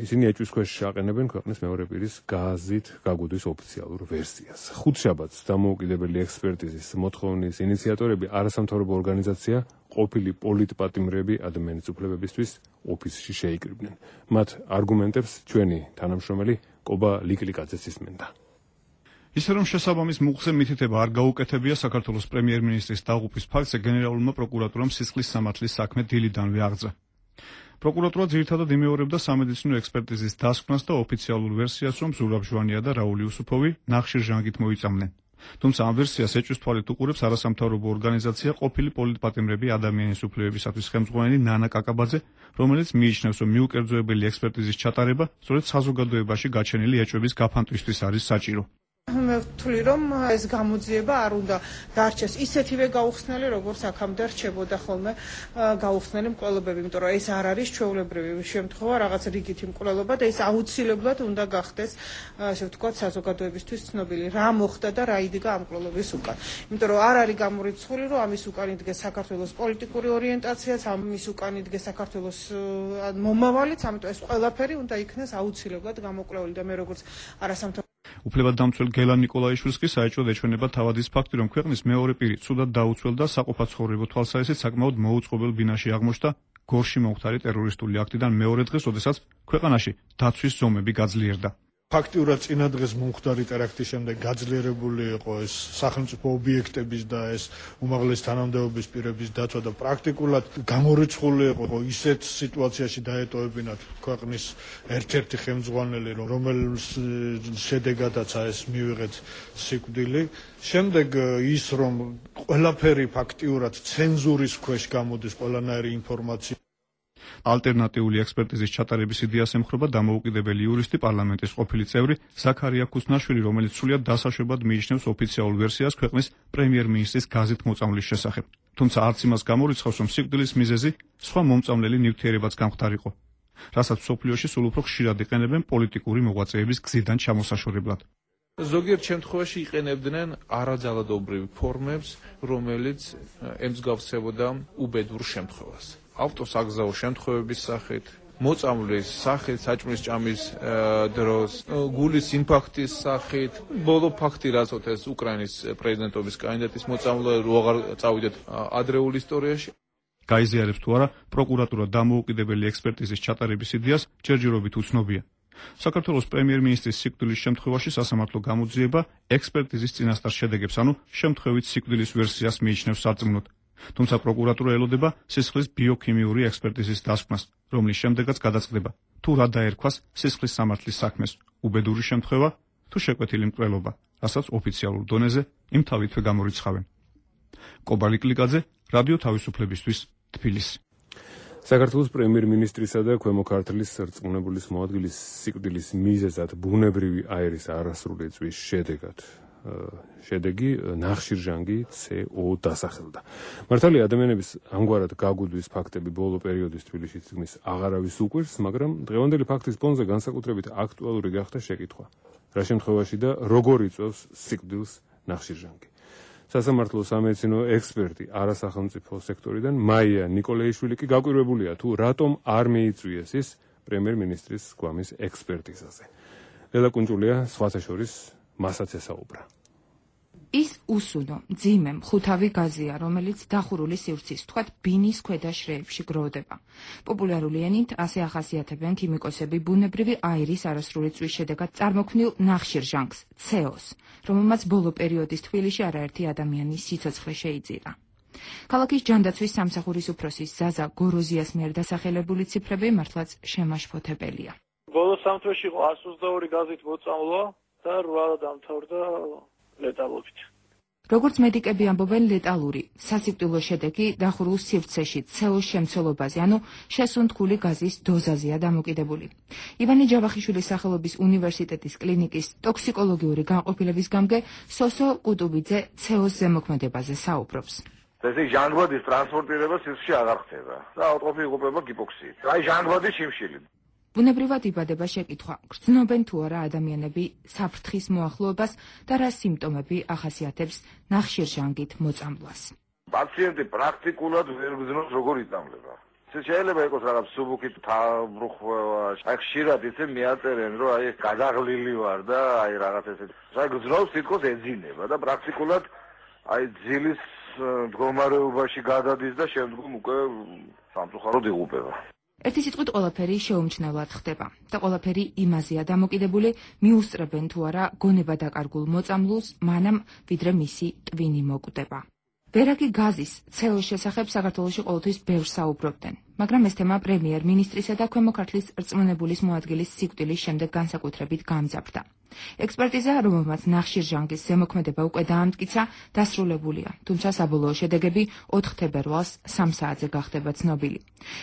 ისინი ეჭვის ქვეშ აყენებენ ქვეყნის მეორე პირის გაზით გაგუდის ოფიციალურ ვერსიას. ხუთშაბათს დამოუკიდებელი ექსპერტიზის მოთხოვნის ინიციატორები არასამთავრობო ორგანიზაცია ყოფილი პოლიტპატიმრები ადამიანის უფლებებისთვის ოფისში შეიკრიბნენ. მათ არგუმენტებს ჩვენი თანამშრომელი კობა ლიკლიკაძეც ისმენდა. ისე რომ შესაბამის მუხზე მითითება არ გაუკეთებია საქართველოს პრემიერ-მინისტრის დაღუპვის ფაქტზე გენერალურმა პროკურატურამ სისხლის სამართლის საქმე დილიდანვე აღძრა. პროკურატურა ძირითადად იმეორებდა სამედიცინო ექსპერტიზის დასკვნას და ოფიციალურ ვერსიას, რომ ზურაბ ჟვანია და რაული უსუფოვი ნახშირ ჟანგით მოიწამნენ. თუმცა ამ ვერსიას ეჭვის თვალით უყურებს არასამთავრობო ორგანიზაცია ყოფილი პოლიტპატიმრები ადამიანის უფლებებისათვის ხელმძღვანელი ნანა კაკაბაძე, რომელიც მიიჩნევს, რომ მიუკერძოებელი ექსპერტიზის ჩატარება სწორედ საზოგადოებაში გაჩენილი ეჭვების გაფანტვისთვის არის საჭირო. მე ვთვლი რომ ეს გამოძიება არ უნდა დარჩეს ისეთივე გაუხსნელი, როგორც აქამდე რჩებოდა ხოლმე გაუხსნელი მკვლელობები, იმიტომ რომ ეს არ არის ჩვეულებრივი შემთხვევა, რაღაც რიგითი მკვლელობა და ეს აუცილებლად უნდა გახდეს, ასე ვთქვათ, საზოგადოებისთვის ცნობილი, რა მოხდა და რა იდგა ამ მკვლელობის უკან. იმიტომ რომ არ არის გამორიცხული, რომ ამის უკან იდგეს საქართველოს პოლიტიკური ორიენტაციაც, ამის უკან იდგეს საქართველოს მომავალიც, ამიტომ ეს ყველაფერი უნდა იქნეს აუცილებლად გამოკვლეული და მე როგორც არასამთავრობო უფლებადამცველ გელან ნიკოლაიშვილს კი საეჭვოდ ეჩვენება თავად ის ფაქტი, რომ ქვეყნის მეორე პირი ცუდად დაუცველ და საყოფაცხოვრებო თვალსაზრისით საკმაოდ მოუწყობელ ბინაში აღმოჩნდა გორში მომხდარი ტერორისტული აქტიდან მეორე დღეს, როდესაც ქვეყანაში დაცვის ზომები გაძლიერდა. ფაქტიურად წინა დღეს მომხდარი ტერაქტის შემდეგ გაძლიერებული იყო ეს სახელმწიფო ობიექტების და ეს უმაღლესი თანამდებობის პირების დაცვა და პრაქტიკულად გამორიცხული იყო ისეთ სიტუაციაში დაეტოვებინათ ქვეყნის ერთ-ერთი ხელმძღვანელი, რომელს შედეგადაც ეს მივიღეთ სიკვდილი. შემდეგ ის რომ ყველაფერი ფაქტიურად ცენზურის ქვეშ გამოდის ყველანაირი ინფორმაცია. ალტერნატიული ექსპერტიზის ჩატარების იდეას ემხრობა დამოუკიდებელი იურისტი, პარლამენტის ყოფილი წევრი ზაქარია ქუსნაშვილი, რომელიც სრულიად დასაშვებად მიიჩნევს ოფიციალურ ვერსიას ქვეყნის პრემიერ-მინისტრის გაზით მოწამვლის შესახებ. თუმცა არც იმას გამორიცხავს, რომ სიკვდილის მიზეზი სხვა მომწამლელი ნივთიერებაც გამხდარიყო. რასაც მსოფლიოში სულ უფრო ხშირად იყენებენ პოლიტიკური მოღვაწეების გზიდან ჩამოსაშორებლად. ზოგიერთ შემთხვევაში იყენებდნენ არაძალადობრივ ფორმებს, რომელიც ემსგავსებოდა უბედურ შემთხვევას. ავტოს აგზაო შემთხვევების სახით, მოწამვლის სახით, საჭმლის ჭამის დროს, გულის ინფარქტის სახით, ბოლო ფაქტი რასაც ეს უკრაინის პრეზიდენტობის კანდიდატის მოწამვლა რო აღარ წავიდეთ ადრეულ ისტორიაში. გაიზიარებს თუ არა პროკურატურა დამოუკიდებელი ექსპერტიზის ჩატარების იდეას ჯერჯერობით უცნობია. საქართველოს პრემიერ-მინისტრის სიკვდილის შემთხვევაში სასამართლო გამოძიება ექსპერტიზის წინასწარ შედეგებს, ანუ შემთხვევით სიკვდილის ვერსიას მიიჩნევს სარწმუნოდ. თუმცა პროკურატურა ელოდება სისხლის ბიოქიმიური ექსპერტიზის დასკვნას, რომლის შემდეგაც გადაწყდება, თუ რა დაერქვას სისხლის სამართლის საქმეს, უბედური შემთხვევა თუ შეკვეთილი მკვლელობა, რასაც ოფიციალურ დონეზე იმ თავითვე გამორიცხავენ. კობალი კლიკაძე, რადიო თავისუფლებისთვის, თბილისი. საქართველოს პრემიერ-მინისტრისა და ქვემო ქართლის სარწმუნებლის მოადგილის სიკვდილის მიზეზად ბუნებრივი აირის არასრული წვის შედეგად შედეგი ნახშირჟანგი ცე ო დასახელდა. მართალია ადამიანების ამგვარად გაგუდვის ფაქტები ბოლო პერიოდის თბილისში წიგნის აღარავის უკვირს, მაგრამ დღევანდელი ფაქტის ფონზე განსაკუთრებით აქტუალური გახდა შეკითხვა, რა შემთხვევაში და როგორ იწვევს სიკვდილს ნახშირჟანგი. სასამართლო სამედიცინო ექსპერტი არასახელმწიფო სექტორიდან მაია ნიკოლეიშვილი კი გაკვირვებულია თუ რატომ არ მიიწვიეს ის პრემიერ-მინისტრის გვამის ექსპერტიზაზე. ლელა კუნჭულია სხვათა შორის მასაც ესაუბრა. ის უსუნო, მძიმე, მხუთავი გაზია, რომელიც დახურული სივრცის, თქვათ, ბინის ქვედა შრეებში გროვდება. პოპულარული ენით ასე ახასიათებენ ქიმიკოსები ბუნებრივი აირის არასრული წვის შედეგად წარმოქმნილ ნახშირჟანგს, ცეოს, რომელმაც ბოლო პერიოდის თბილისში არაერთი ადამიანის სიცოცხლე შეიძირა. ქალაქის ჯანდაცვის სამსახურის უფროსის ზაზა გოროზიას მიერ დასახელებული ციფრები მართლაც შემაშფოთებელია. ბოლო სამ თვეში იყო არც ოცდაორი გაზით მოწამვლა და რვა დამთავრდა ლეტალობით. როგორც მედიკები ამბობენ, ლეტალური სასიკვდილო შედეგი დახურულ სივრცეში ცეოს შემცველობაზე, ანუ შესუნთქული გაზის დოზაზეა დამოკიდებული. ივანე ჯავახიშვილის სახელობის უნივერსიტეტის კლინიკის ტოქსიკოლოგიური განყოფილების გამგე სოსო კუტუბიძე ცეოს ზემოქმედებაზე საუბრობს. ესე ჟანგბადის ტრანსპორტირება სისხლში აღარ ხდება და ავტოფი იღუპება გიპოქსიით. აი ჟანგბადის შიმშილი. ბუნებრივად იბადება შეკითხვა, გრძნობენ თუ არა ადამიანები საფრთხის მოახლოებას და რა სიმპტომები ახასიათებს ნახშირჟანგით მოწამვლას. პაციენტი პრაქტიკულად ვერ გრძნობს როგორ იწამლება. ეს შეიძლება იყოს რაღაც სუბუქით თავბრუხვევა, აი ხშირად ისე მიაწერენ, რომ აი გადაღლილი ვარ და აი რაღაც ესე. აი გრძნობს თითქოს ეძინება და პრაქტიკულად აი ძილის მდგომარეობაში გადადის და შემდგომ უკვე სამწუხაროდ იღუპება. ერთი სიტყვით ყველაფერი შეუმჩნევლად ხდება და ყველაფერი იმაზეა დამოკიდებული, მიუსწრებენ თუ არა გონება დაკარგულ მოწამლულს, მანამ ვიდრე მისი ტვინი მოკვდება. ვერაგი გაზის ცეოს შესახებ საქართველოში ყოველთვის ბევრს საუბრობდნენ, მაგრამ ეს თემა პრემიერ-მინისტრისა და ქვემო ქართლის რწმუნებულის მოადგილის სიკვდილის შემდეგ განსაკუთრებით გამძაფრდა. ექსპერტიზა, რომელმაც ნახშირჟანგის ზემოქმედება უკვე დაამტკიცა, დასრულებულია, თუმცა საბოლოო შედეგები ოთხ თებერვალს სამ საათზე გახდება ცნობილი.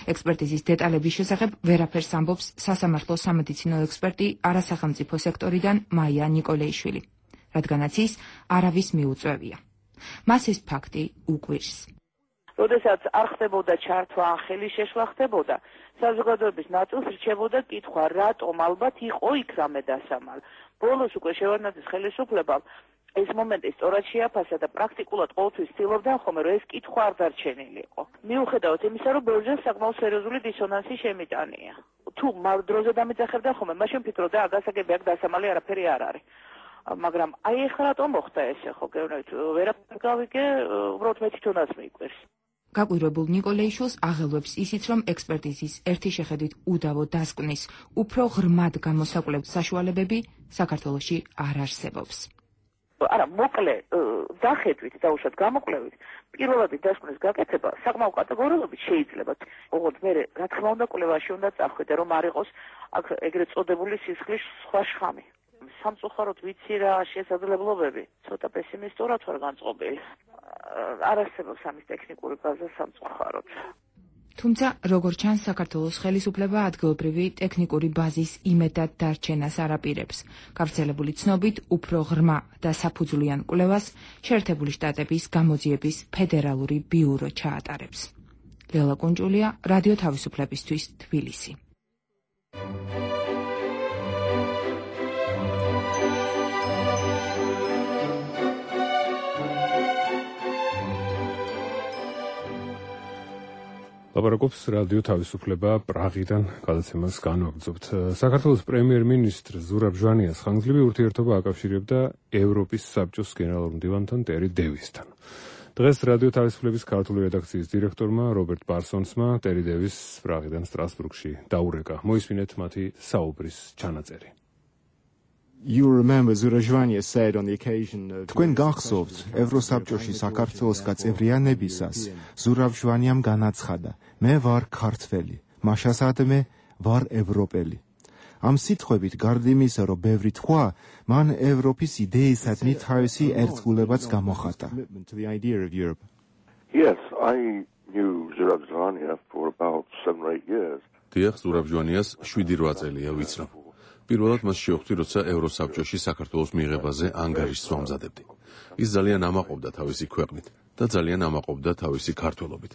ექსპერტიზის დეტალების შესახებ ვერაფერს ამბობს სასამართლო სამედიცინო ექსპერტი არასახელმწიფო სექტორიდან მაია ნიკოლეიშვილი, რადგანაც ის არავის მიუწვევია. მას ეს ფაქტი უკვირს. როდესაც არ ხდებოდა ჩართვა ან ხელის შეშლა ხდებოდა, საზოგადოების ნაწილს რჩებოდა კითხვა, რატომ ალბათ იყო იქ რამე დასამალ. ბოლოს უკვე შევარდნაძის ხელისუფლებამ ეს მომენტი სწორად შეაფასა და პრაქტიკულად ყოველთვის ცდილობდა ხოლმე, რომ ეს კითხვა არ დარჩენილიყო. მიუხედავად იმისა, რომ ბევრჯერ საკმაოდ სერიოზული დისონანსი შემიტანია. თუ მარ დროზე დამეძახებდა ხოლმე, მაშინ ფიქრობდა, აგასაგები აქ დასამალი არაფერი არ არის. მაგრამ აი ეხლა რატომ მოხდა ესე, ხო გეუბნებით, ვერაფერ გავიგე, უბრალოდ მე თვითონაც მიყვირს. გაკვირვებულ ნიკოლეიშვილს აღელვებს ისიც, რომ ექსპერტიზის ერთი შეხედვით უდავო დასკვნის უფრო ღრმად გამოსაკვლევ საშუალებები საქართველოში არ არსებობს. არა, მოკლე დახედვით და უშად გამოკვლევით, პირველადი დასკვნის გაკეთება საკმაო კატეგორიულობით შეიძლება. ოღონდ მე რა თქმა უნდა კვლევაში უნდა წავხვიდე, რომ არ იყოს აქ ეგრეთ წოდებული სისხლის სხვა შხამი. სამწუხაროდ ვიცი რა შესაძლებლობები, ცოტა პესიმისტურად ვარ განწყობილი. არ არსებობს ამის ტექნიკური ბაზა სამწუხაროდ. თუმცა, როგორც ჩანს, საქართველოს ხელისუფლება ადგილობრივი ტექნიკური ბაზის იმედად დარჩენას არ აპირებს. გავრცელებული ცნობით, უფრო ღრმა და საფუძვლიან კვლევას შეერთებული შტატების გამოძიების ფედერალური ბიურო ჩაატარებს. ლელა კუნჭულია, რადიო თავისუფლებისთვის, თბილისი. ლაპარაკობს რადიო თავისუფლება პრაღიდან გადაცემას განვაგრძობთ. საქართველოს პრემიერ-მინისტრ ზურაბ ჟვანიას ხანგრძლივი ურთიერთობა აკავშირებდა ევროპის საბჭოს გენერალურ მდივანთან ტერი დევისთან. დღეს რადიო თავისუფლების ქართული redakcიის დირექტორმა რობერტ ბარსონსმა ტერი დევის პრაღიდან სტრასბურგში დაურეკა. მოისმინეთ მათი საუბრის ჩანაწერი. You remember Zurabzhvania said on the occasion of თქვენ გახსოვთ ევროსაბჭოში საქართველოს გაწევრიანებისას ზურაბჟვანიამ განაცხადა მე ვარ ქართველი მაშასადმე ვარ ევროპელი ამ სიტყვებით გარდა იმისა რომ ბევრი თქვა მან ევროპის იდეისადმი თავისი ერთგულებაც გამოხატა Yes, I knew Zurabzhvania for about seven or eight years. დიახ, ზურაბჟვანიას შვიდი რვა წელია ვიცნობ. პირველად მას შეხვდი, როცა ევროსაბჭოში საქართველოს მიღებაზე ანგარიშს ვამზადებდი. ის ძალიან ამაყობდა თავისი ქვეყნით და ძალიან ამაყობდა თავისი ქართველობით.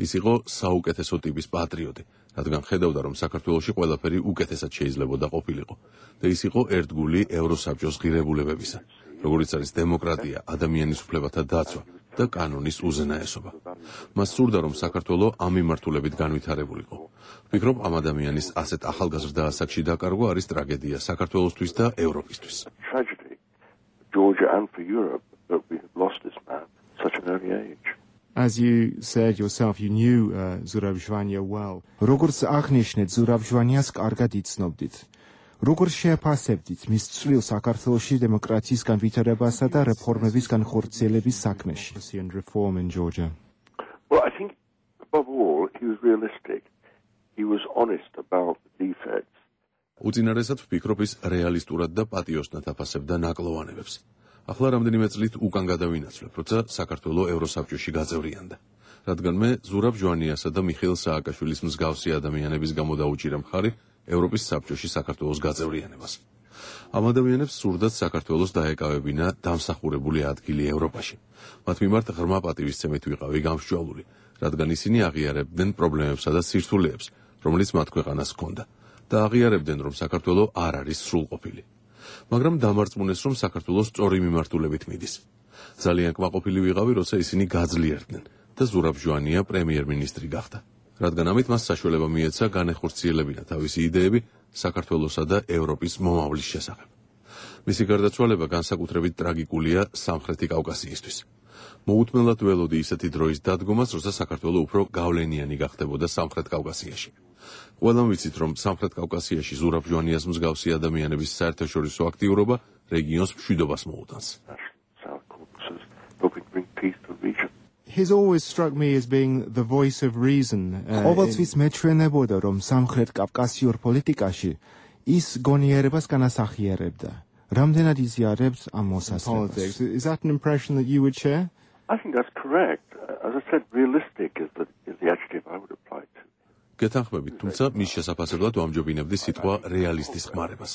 ის იყო საუკეთესო ტიპის პატრიოტი, რადგან ხედავდა, რომ საქართველოში ყველაფერი უკეთესად შეიძლებოდა ყოფილიყო და ის იყო ერთგული ევროსაბჭოს ღირებულებებისა, როგორიც არის დემოკრატია, ადამიანის უფლებათა დაცვა და კანონის უზენაესობა. მას სურდა, რომ საქართველო ამ მიმართულებით განვითარებულიყო. ვფიქრობ, ამ ადამიანის ასეთ ახალგაზრდა ასაკში დაკარგვა არის ტრაგედია საქართველოსთვის და ევროპისთვის. Tragedy, Georgia and for Europe, that we have lost this man at such an early age. As you said yourself, you knew uh, Zurabzhvania well. როგორც აღნიშნეთ, ზურაბჟვანიას კარგად იცნობდით. როგორ შეაფასებდით მის წვლილს საქართველოში დემოკრატიის განვითარებასა და რეფორმების განხორციელების საქმეში? Reform in Georgia. Well, I think above all, he was realistic. He was honest about the defects. უწინარესად ვფიქრობ, ის რეალისტურად და პატიოსნად აფასებდა ნაკლოვანებებს. ახლა რამდენიმე წლით უკან გადავინაცვლებ, როცა საქართველო ევროსაბჭოში გაწევრიანდა. რადგან მე ზურაბ ჟვანიასა და მიხეილ სააკაშვილის მსგავსი ადამიანების გამო დაუჭირე მხარი ევროპის საბჭოში საქართველოს გაწევრიანებას. ამ ადამიანებს სურდათ საქართველოს დაეკავებინა დამსახურებული ადგილი ევროპაში. მათ მიმართ ღრმა პატივისცემით ვიყავი გამსჭვალული, რადგან ისინი აღიარებდნენ პრობლემებსა და სირთულეებს, რომელიც მათ ქვეყანას ჰქონდა და აღიარებდნენ, რომ საქართველო არ არის სრულყოფილი. მაგრამ დამარწმუნეს, რომ საქართველოს სწორი მიმართულებით მიდის. ძალიან კმაყოფილი ვიყავი, როცა ისინი გაძლიერდნენ და ზურაბ ჟვანია პრემიერ-მინისტრი გახდა. რადგან ამით მას საშუალება მიეცა განეხორციელებინა თავისი იდეები საქართველოსა და ევროპის მომავლის შესახებ. მისი გარდაცვალება განსაკუთრებით ტრაგიკულია სამხრეთი კავკასიისთვის. მოუთმენლად ველოდი ისეთი დროის დადგომას, როცა საქართველო უფრო გავლენიანი გახდებოდა სამხრეთ კავკასიაში. ყველამ ვიცით, რომ სამხრეთ კავკასიაში ზურაბ ჟვანიას მსგავსი ადამიანების საერთაშორისო აქტიურობა რეგიონს მშვიდობას მოუტანს. He's always struck me as being the voice of reason. ყოველთვის მეჩვენებოდა, რომ სამხრეთ კავკასიურ პოლიტიკაში ის გონიერებას განასახიერებდა. რამდენად იზიარებთ ამ მოსაზრებას? Is that an impression that you would share? I think that's correct. As I said, realistic is the, is the adjective I would apply to. გეთანხმებით, თუმცა მის შესაძლებლად ვამჯობინებდი სიტყვა რეალისტის ხმარებას.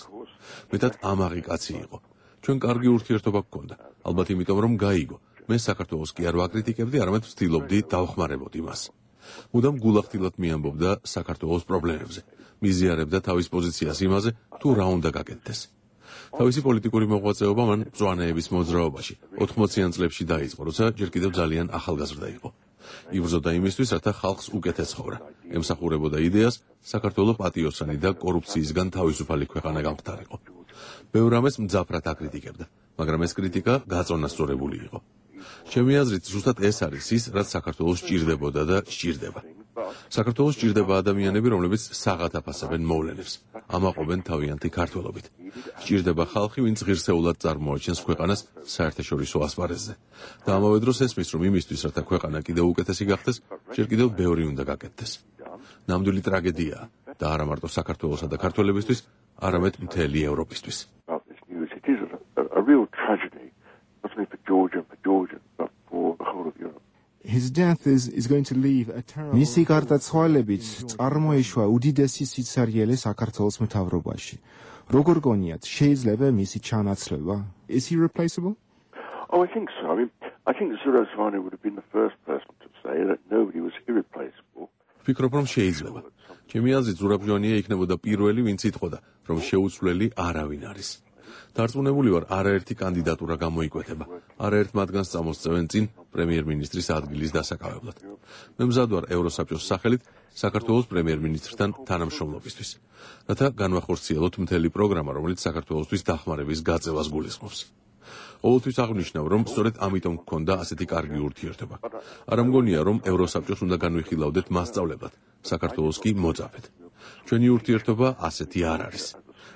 მეტად ამაღი კაცი იყო. ჩვენ კარგი ურთიერთობა გქონდა, ალბათ იმიტომ რომ გაიგო. მე საქართველოს კი არ ვაკრიტიკებდი, არამედ ვცდილობდი დავხმარებოდი მას. მუდამ გულახდილად მიამბობდა საქართველოს პრობლემებზე. მიზიარებდა თავის პოზიციას იმაზე, თუ რა უნდა გაკეთდეს. თავისი პოლიტიკური მოღვაწეობა მან მწვანეების მოძრაობაში ოთხმოციან წლებში დაიწყო, როცა ჯერ კიდევ ძალიან ახალგაზრდა იყო. იბრძოდა იმისთვის, რათა ხალხს უკეთეს ცხოვრა. ემსახურებოდა იდეას, საქართველო პატიოსანი და კორუფციისგან თავისუფალი ქვეყანა გამხდარიყო. ბევრ რამეს მძაფრად აკრიტიკებდა, მაგრამ ეს კრიტიკა გაწონასწორებული იყო. ჩემი აზრით, ზუსტად ეს არის ის, რაც საქართველოს სჭირდებოდა და სჭირდება. საქართველოს სჭირდება ადამიანები, რომლებიც საღად აფასებენ მოვლენებს, ამაყობენ თავიანთი ქართველობით. სჭირდება ხალხი, ვინც ღირსეულად წარმოაჩენს ქვეყანას საერთაშორისო ასპარეზზე. და ამავე დროს ესმის, რომ იმისთვის, რათა ქვეყანა კიდევ უკეთესი გახდეს, ჯერ კიდევ ბევრი უნდა გაკეთდეს. ნამდვილი ტრაგედიაა და არა მარტო საქართველოსა და ქართველებისთვის, არამედ მთელი ევროპისთვის. It is a, a real tragedy, not only for Georgia, for Georgia, but for the whole of Europe. His death is, is going to leave a terrible... მისი გარდაცვალებით წარმოიშვა უდიდესი სიცარიელე საქართველოს მთავრობაში. როგორ გონიათ, შეიძლება მისი ჩანაცვლება? Is he replaceable? Oh, I think so. I mean, I think Zurabzhvania would have been the first person to say that nobody was irreplaceable. ვფიქრობ, რომ შეიძლება. ჩემი აზრით, ზურაბჟვანია იქნებოდა პირველი, ვინც იტყოდა, რომ შეუცვლელი არავინ არის. დარწმუნებული ვარ, არაერთი კანდიდატურა გამოიკვეთება. არაერთ მათგანს წამოსწევენ წინ პრემიერ-მინისტრის ადგილის დასაკავებლად. მე მზად ვარ ევროსაბჭოს სახელით საქართველოს პრემიერ-მინისტრთან თანამშრომლობისთვის, რათა განვახორციელოთ მთელი პროგრამა, რომელიც საქართველოსთვის დახმარების გაწევას გულისხმობს. ყოველთვის აღნიშნავ, რომ სწორედ ამიტომ გქონდა ასეთი კარგი ურთიერთობა. არ მგონია, რომ ევროსაბჭოს უნდა განვიხილავდეთ მასწავლებლად, საქართველოს კი მოწაფეთ. ჩვენი ურთიერთობა ასეთი არ არის.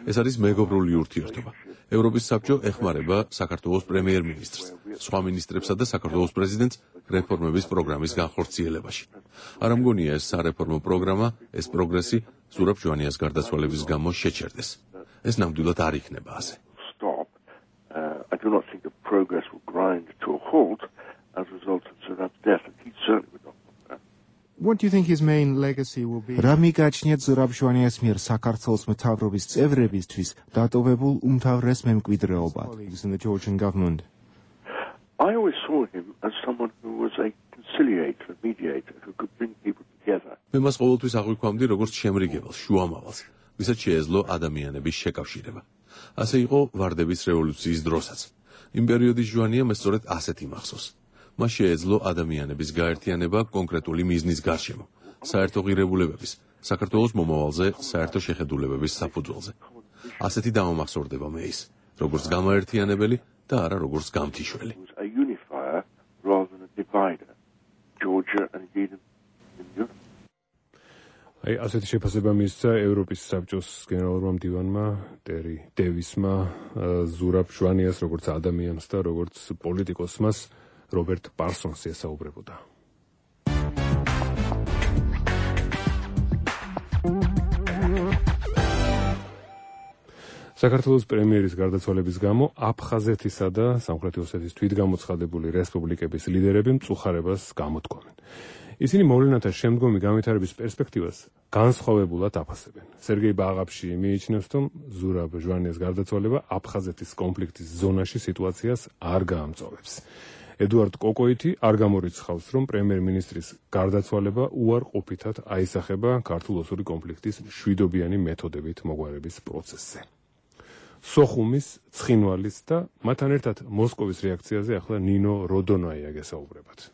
ეს არის მეგობრული ურთიერთობა. ევროპის საბჭო ეხმარება საქართველოს პრემიერ-მინისტრს, სხვა მინისტრებსა და საქართველოს პრეზიდენტს რეფორმების პროგრამის განხორციელებაში. არ მგონია ეს სარეფორმო პროგრამა, ეს პროგრესი ზურაბ ჟვანიას გარდაცვალების გამო შეჩერდეს. ეს ნამდვილად არ იქნება ასე. I do not think the progress will grind to a halt as a result of Zurab's death, and he certainly would not want that. What do you think his main legacy will be? რა მიგაჩნიათ ზურაბ ჟვანიას მიერ საქართველოს მთავრობის წევრებისთვის დატოვებულ უმთავრეს მემკვიდრეობად in the Georgian government? I always saw him as someone who was a conciliator, a mediator, who could bring people together. მე მას ყოველთვის აღვიქვამდი როგორც შემრიგებელს, შუამავალს, ვისაც შეეძლო ადამიანების შეკავშირება. ასე იყო ვარდების რევოლუციის დროსაც. იმ პერიოდის ჟვანია მე სწორედ ასეთი მახსოვს. მას შეეძლო ადამიანების გაერთიანება კონკრეტული მიზნის გარშემო, საერთო ღირებულებების, საქართველოს მომავალზე, საერთო შეხედულებების საფუძველზე. ასეთი დამამახსოვრდება მე ის, როგორც გამაერთიანებელი და არა როგორც გამთიშველი. A unifier rather than a divider. Georgia and indeed in Europe. აი ასეთი შეფასება მისცა ევროპის საბჭოს გენერალურმა მდივანმა ტერი დევისმა ზურაბ ჟვანიას როგორც ადამიანს და როგორც პოლიტიკოსს მას რობერტ პარსონს ესაუბრებოდა. საქართველოს პრემიერის გარდაცვალების გამო აფხაზეთისა და სამხრეთი ოსეთის თვითგამოცხადებული რესპუბლიკების ლიდერები მწუხარებას გამოთქვამენ. ისინი მოვლენათა შემდგომი განვითარების პერსპექტივას განსხვავებულად აფასებენ. სერგეი ბაღაფში მიიჩნევს, რომ ზურაბ ჟვანიას გარდაცვალება აფხაზეთის კონფლიქტის ზონაში სიტუაციას არ გაამწოვებს. ედუარდ კოკოიტი არ გამორიცხავს, რომ პრემიერ-მინისტრის გარდაცვალება უარყოფითად აისახება ქართულ-ოსური კონფლიქტის მშვიდობიანი მეთოდებით მოგვარების პროცესზე. სოხუმის, ცხინვალის და მათთან ერთად მოსკოვის რეაქციაზე ახლა ნინო როდონაია გესაუბრებათ.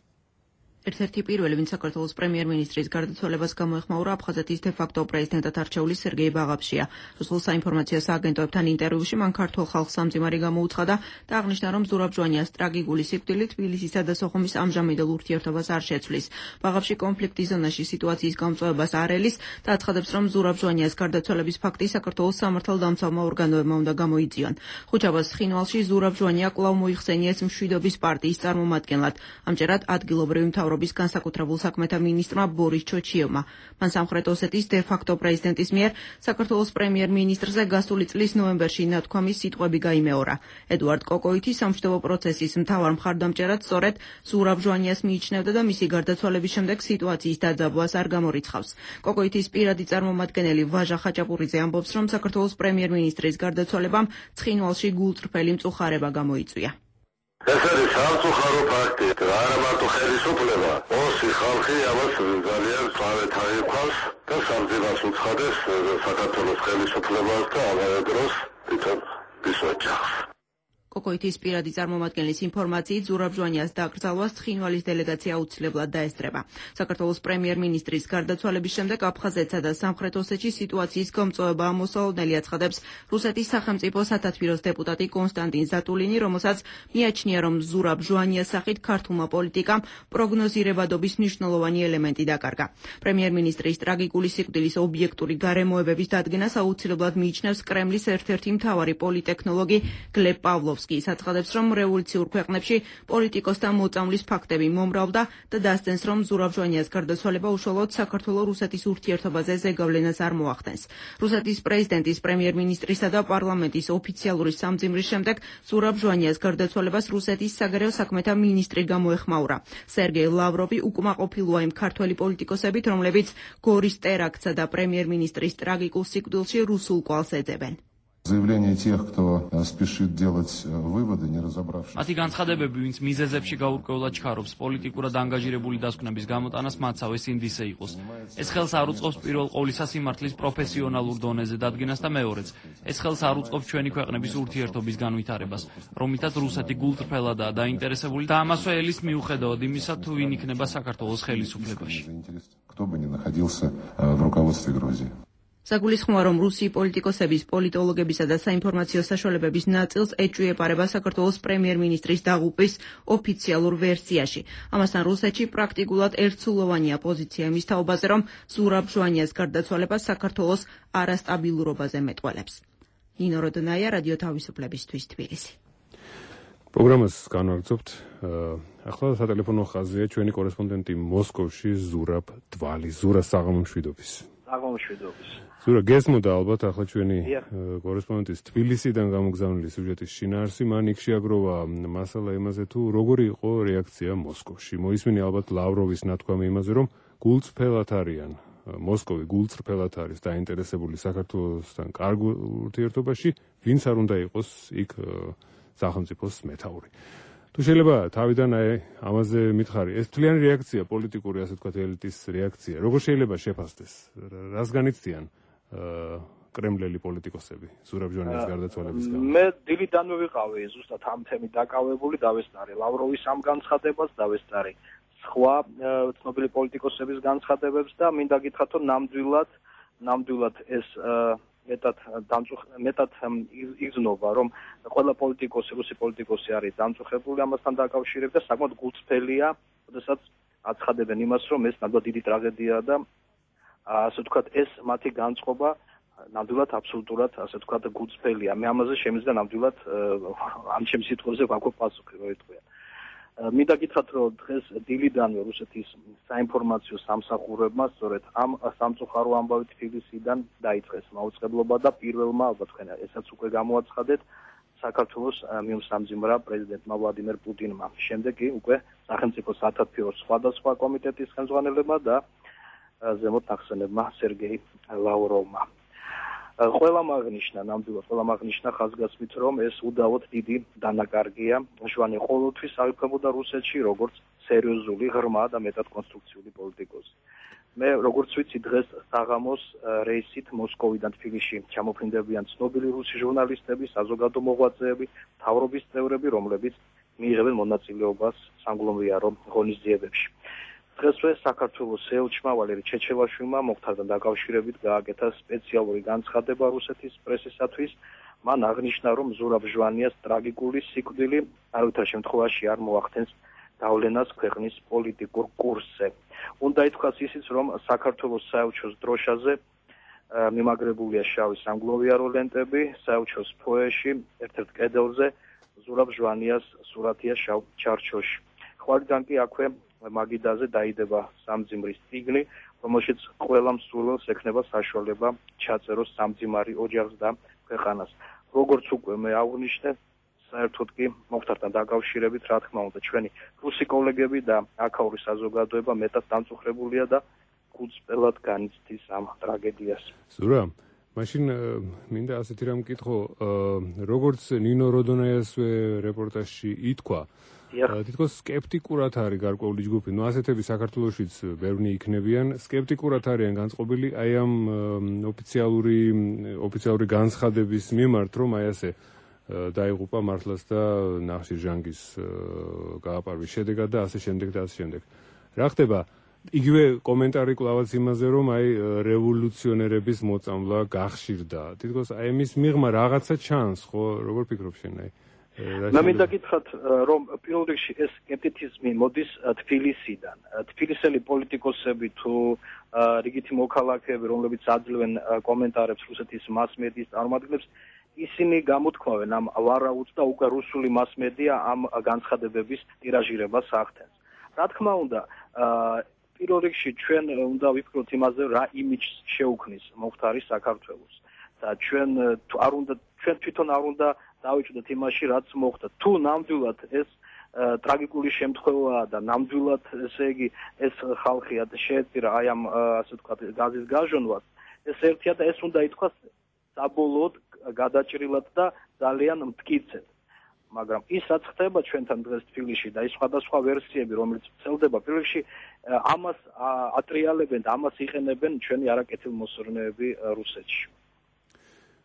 ერთ-ერთი პირველი, ვინც საქართველოს პრემიერ-მინისტრის გარდაცვალებას გამოეხმაურა აფხაზეთის დე-ფაქტო პრეზიდენტად არჩეული სერგეი ბაღაფშია. რუსულ საინფორმაციო სააგენტოებთან ინტერვიუში მან ქართულ ხალხს სამძიმარი გამოუცხადა და აღნიშნა, რომ ზურაბ ჟვანიას ტრაგიკული სიკვდილით თბილისისა და სოხუმის ამჟამინდელ ურთიერთობას არ შეცვლის. ბაღაფში კონფლიქტის ზონაში სიტუაციის გამწვევებას არ ელის და აცხადებს, რომ ზურაბ ჟვანიას გარდაცვალების ფაქტი საქართველოს სამართალდამცავმა ორგანოებმა უნდა გამოიწვიონ. ხუჩაბას ცხინვალში ზურაბ ჟვანია კვლავ მოიხსენიეს მშვიდობის პარტიის წარმომადგენლად. ამჯერად ადგილობრივი მთავრობის განსაკუთრებულ საქმეთა მინისტრმა ბორის ჩოჩიევმა. მან სამხრეთ ოსეთის დე-ფაქტო პრეზიდენტის მიერ საქართველოს პრემიერ-მინისტრზე გასული წლის ნოემბერში ნათქვამის სიტყვები გაიმეორა. ედუარდ კოკოიტი სამშვიდობო პროცესის მთავარ მხარდამჭერად სწორედ ზურაბ ჟვანიას მიიჩნევდა და მისი გარდაცვალების შემდეგ სიტუაციის დაძაბვას არ გამორიცხავს. კოკოიტის პირადი წარმომადგენელი ვაჟა ხაჭაპურიძე ამბობს, რომ საქართველოს პრემიერ-მინისტრის გარდაცვალებამ ცხინვალში გულწრფელი მწუხარება გამოიწვია. ეს არის სამწუხარო ფაქტი, არა მარტო ხელისუფლება, ოსი ხალხი ამას ძალიან თავად აიქვავს და სამძიმარს უცხადეს საქართველოს ხელისუფლებას და ამავე დროს თვითონ ის ოჯახს. კოკოიტის პირადი წარმომადგენლის ინფორმაციით ზურაბ ჟვანიას დაკრძალვას ცხინვალის დელეგაცია აუცილებლად დაესწრება. საქართველოს პრემიერ-მინისტრის გარდაცვალების შემდეგ აფხაზეთსა და სამხრეთ ოსეთში სიტუაციის გამწვევება ამოსაოდნელი აცხადებს რუსეთის სახელმწიფო სათათბიროს დეპუტატი კონსტანტინ ზატულინი, რომელსაც მიაჩნია, რომ ზურაბ ჟვანიას სახით ქართულმა პოლიტიკამ პროგნოზირებადობის მნიშვნელოვანი ელემენტი დაკარგა. პრემიერ-მინისტრის ტრაგიკული სიკვდილის ობიექტური გარემოებების დადგენას აუცილებლად მიიჩნევს კრემლის ერთ-ერთი მთავარი პოლიტექნოლოგი გლებ პავლოვსკი. ის აცხადებს, რომ რევოლუციურ ქვეყნებში პოლიტიკოსთა მოწამვლის ფაქტები მომრავლდა და დასძენს, რომ ზურაბ ჟვანიას გარდაცვალება უშუალოდ საქართველოს-რუსეთის ურთიერთობაზე ზეგავლენას არ მოახდენს. რუსეთის პრეზიდენტის, პრემიერ-მინისტრისა და პარლამენტის ოფიციალური სამძიმრის შემდეგ ზურაბ ჟვანიას გარდაცვალებას რუსეთის საგარეო საქმეთა მინისტრი გამოეხმაურა. სერგეი ლავროვი უკმაყოფილოა იმ ქართველი პოლიტიკოსებით, რომლებიც გორის ტერაქტსა და პრემიერ-მინისტრის ტრაგიკულ სიკვდილში რუსულ კვალს ეძებენ. Заявление тех, кто спешит делать выводы, не разобравшись. მათი განცხადებები, ვინც მიზეზებში გაურკვევლად ჩქარობს, პოლიტიკურად ანგაჟირებული დასკვნების გამოტანას მათსავე სინდისე იყოს. ეს ხელს არ უწყობს პირველ ყოვლისა სიმართლის პროფესიონალურ დონეზე დადგენას და მეორეც, ეს ხელს არ უწყობს ჩვენი ქვეყნების ურთიერთობის განვითარებას, რომლითაც რუსეთი გულწრფელადაა დაინტერესებული და ამასვე ელის მიუხედავად იმისა, თუ ვინ იქნება საქართველოს ხელისუფლებაში. Кто бы ни находился в руководстве Грузии. საგულისხმოა, რომ რუსი პოლიტიკოსების, პოლიტოლოგებისა და საინფორმაციო საშუალებების ნაწილს ეჭვიეპარება საქართველოს პრემიერ-მინისტრის დაღუპვის ოფიციალურ ვერსიაში. ამასთან რუსეთში პრაქტიკულად ერთსულოვანია პოზიცია იმის თაობაზე, რომ ზურაბ ჟვანიას გარდაცვალება საქართველოს არასტაბილურობაზე მეტყველებს. ნინო როდონაია, რადიო თავისუფლებისთვის, თბილისი. პროგრამას განვაგრძობთ. ახლა სატელეფონო ხაზია ჩვენი კორესპონდენტი მოსკოვში ზურაბ დვალი, ზურა საღამომშვიდობის. საღამომშვიდობის. ზურა გესმოდა ალბათ ახლა ჩვენი კორესპონდენტის თბილისიდან გამოგზავნილი სიუჟეტის შინაარსი, მან იქ შეაგროვა მასალა იმაზე თუ როგორი იყო რეაქცია მოსკოვში. მოისმინე ალბათ ლავროვის ნათქვამი იმაზე, რომ გულწრფელად არიან მოსკოვი გულწრფელად არის დაინტერესებული საქართველოსთან კარგ ურთიერთობაში, ვინც არ უნდა იყოს იქ სახელმწიფოს მეთაური. თუ შეიძლება თავიდან აი ამაზე მითხარი, ეს თლიანი რეაქცია, პოლიტიკური ასე ვთქვათ ელიტის რეაქცია. როგორ შეიძლება შეფასდეს? რას განიცდიან კრემლელი პოლიტიკოსები ზურაბ ჟვანიას გარდაცვალების გამო? მე დილიდანვე ვიყავი ზუსტად ამ თემით დაკავებული, დავესწარი ლავროვის ამ განცხადებას, დავესწარი სხვა ცნობილი პოლიტიკოსების განცხადებებს და მინდა გითხრათ, რომ ნამდვილად ნამდვილად ეს მეტად მეტად იგრძნობა, რომ ყველა პოლიტიკოსი, რუსი პოლიტიკოსი არის დამწუხებული ამასთან დაკავშირებით და საკმაოდ გულწრფელია, როდესაც აცხადებენ იმას, რომ ეს ნამდვილად დიდი ტრაგედიაა და ასე ვთქვათ, ეს მათი განწყობა ნამდვილად აბსოლუტურად, ასე ვთქვათ, გულწრფელია. მე ამაზე შემიძლია ნამდვილად ამ ჩემს სიტყვებზე ვაქვე პასუხი, რო იტყვიან. მინდა გითხრათ, რომ დღეს დილიდანვე რუსეთის საინფორმაციო სამსახურებმა სწორედ ამ სამწუხარო ამბავი თბილისიდან დაიწყეს მაუწყებლობა და პირველმა, ალბათ თქვენ ესაც უკვე გამოაცხადეთ, საქართველოს მიუსამძიმრა პრეზიდენტმა ვლადიმერ პუტინმა. შემდეგ კი უკვე სახელმწიფო სათათბიროს სხვადასხვა კომიტეტის ხელმძღვანელებმა და ზემოთ ნახსენებმა სერგეი ლავროვმა. ყველა მაგნიშნა, ნამდვილად ყველა მაგნიშნა ხაზგასმით, რომ ეს უდავოდ დიდი დანაკარგია. ჟვანი ყოველთვის აღიქვებოდა რუსეთში როგორც სერიოზული, ღრმა და მეტად კონსტრუქციული პოლიტიკოსი. მე როგორც ვიცი, დღეს საღამოს რეისით მოსკოვიდან თბილისში ჩამოფრინდებიან ცნობილი რუსი ჟურნალისტები, საზოგადო მოღვაწეები, მთავრობის წევრები, რომლებიც მიიღებენ მონაწილეობას სამგლომრიარო ღონისძიებებში. დღესვე საქართველოს ელჩმა ვალერი ჩეჩევაშვილმა მოხდართან დაკავშირებით გააკეთა სპეციალური განცხადება რუსეთის პრესისათვის. მან აღნიშნა, რომ ზურაბ ჟვანიას ტრაგიკული სიკვდილი არავითარ შემთხვევაში არ მოახდენს დავლენას ქვეყნის პოლიტიკურ კურსზე. უნდა ითქვას ისიც, რომ საქართველოს საელჩოს დროშაზე მიმაგრებულია შავი სამგლოვიარო ლენტები, საელჩოს ფოეში ერთ-ერთ კედელზე ზურაბ ჟვანიას სურათია შავ ჩარჩოში. ხვარიდან კი აქვე მაგიდაზე დაიდება სამძიმრის წიგნი, რომელშიც ყველა მსურველს ექნება საშუალება ჩაწეროს სამძიმარი ოჯახს და ქვეყანას. როგორც უკვე მე აღვნიშნე, საერთოდ კი მოხდართან დაკავშირებით, რა თქმა უნდა, ჩვენი რუსი კოლეგები და აქაური საზოგადოება მეტად დამწუხრებულია და გულწრფელად განიცდის ამ ტრაგედიას. ზურა, მაშინ მინდა ასეთი რამ მკითხო, როგორც ნინო როდონაიასვე რეპორტაჟში ითქვა, თითქოს სკეპტიკურად არის გარკვეული ჯგუფი, ნუ ასეთები საქართველოშიც ბევრი იქნებიან, სკეპტიკურად არიან განწყობილი აი ამ ოფიციალური ოფიციალური განცხადების მიმართ, რომ აი ასე დაიღუპა მართლაც და ნახშირ ჟანგის გააპარვის შედეგად და ასე შემდეგ და ასე შემდეგ. რა ხდება? იგივე კომენტარი კლავაც იმაზე, რომ აი რევოლუციონერების მოწამვლა გახშირდა. თითქოს აი მის მიღმა რაღაცა ჩანს, ხო? როგორ ფიქრობ შენ აი? მე მინდა გითხრათ, რომ პირველ რიგში ეს სკეპტიციზმი მოდის თბილისიდან. თბილისელი პოლიტიკოსები თუ რიგითი მოქალაქეები, რომლებიც აძლევენ კომენტარებს რუსეთის მას-მედიის წარმომადგენლებს, ისინი გამოთქვამენ ამ ვარაუდს და უკვე რუსული მას-მედია ამ განცხადებების ტირაჟირებას ახდენს. რა თქმა უნდა, პირველ რიგში ჩვენ უნდა ვიფიქროთ იმაზე, რა იმიჯს შეუქმნის მოხდარი საქართველოს. და ჩვენ არ უნდა ჩვენ თვითონ არ უნდა დავიჭდოთ იმაში, რაც მოხდა. თუ ნამდვილად ეს ტრაგიკული შემთხვევაა და ნამდვილად, ესე იგი, ეს ხალხი შეეწირა აი ამ ასე ვთქვათ გაზის გაჟონვას, ეს ერთია და ეს უნდა ითქვას საბოლოოდ გადაჭრილად და ძალიან მტკიცედ. მაგრამ ის რაც ხდება ჩვენთან დღეს თბილისში და ის სხვადასხვა ვერსიები, რომელიც ვრცელდება, პირველ რიგში ამას ატრიალებენ და ამას იყენებენ ჩვენი არაკეთილმოსურნეები რუსეთში.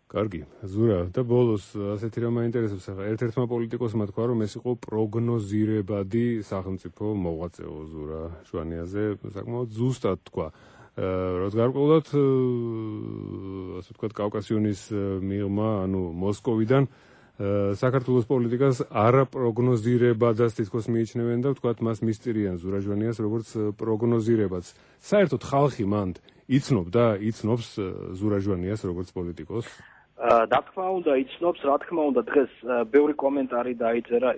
კარგი, ზურა და ბოლოს ასეთი რამ მაინტერესებს ახლა ერთ-ერთმა პოლიტიკოსმა თქვა რომ ეს იყო პროგნოზირებადი სახელმწიფო მოღვაწეო ზურა ჟვანიაზე საკმაოდ ზუსტად თქვა. რაც გარკვეულად ასე ვთქვათ კავკასიონის მიღმა, ანუ მოსკოვიდან საქართველოს პოლიტიკას არაპროგნოზირებადაც თითქოს მიიჩნევენ და ვთქვათ მას მისწირიან ზურა ჟვანიას როგორც პროგნოზირებადს. საერთოდ ხალხი მანდ იცნობდა, იცნობს ზურა ჟვანიას როგორც პოლიტიკოს? რა თქმა უნდა იცნობს, რა თქმა უნდა დღეს ბევრი კომენტარი დაიწერა,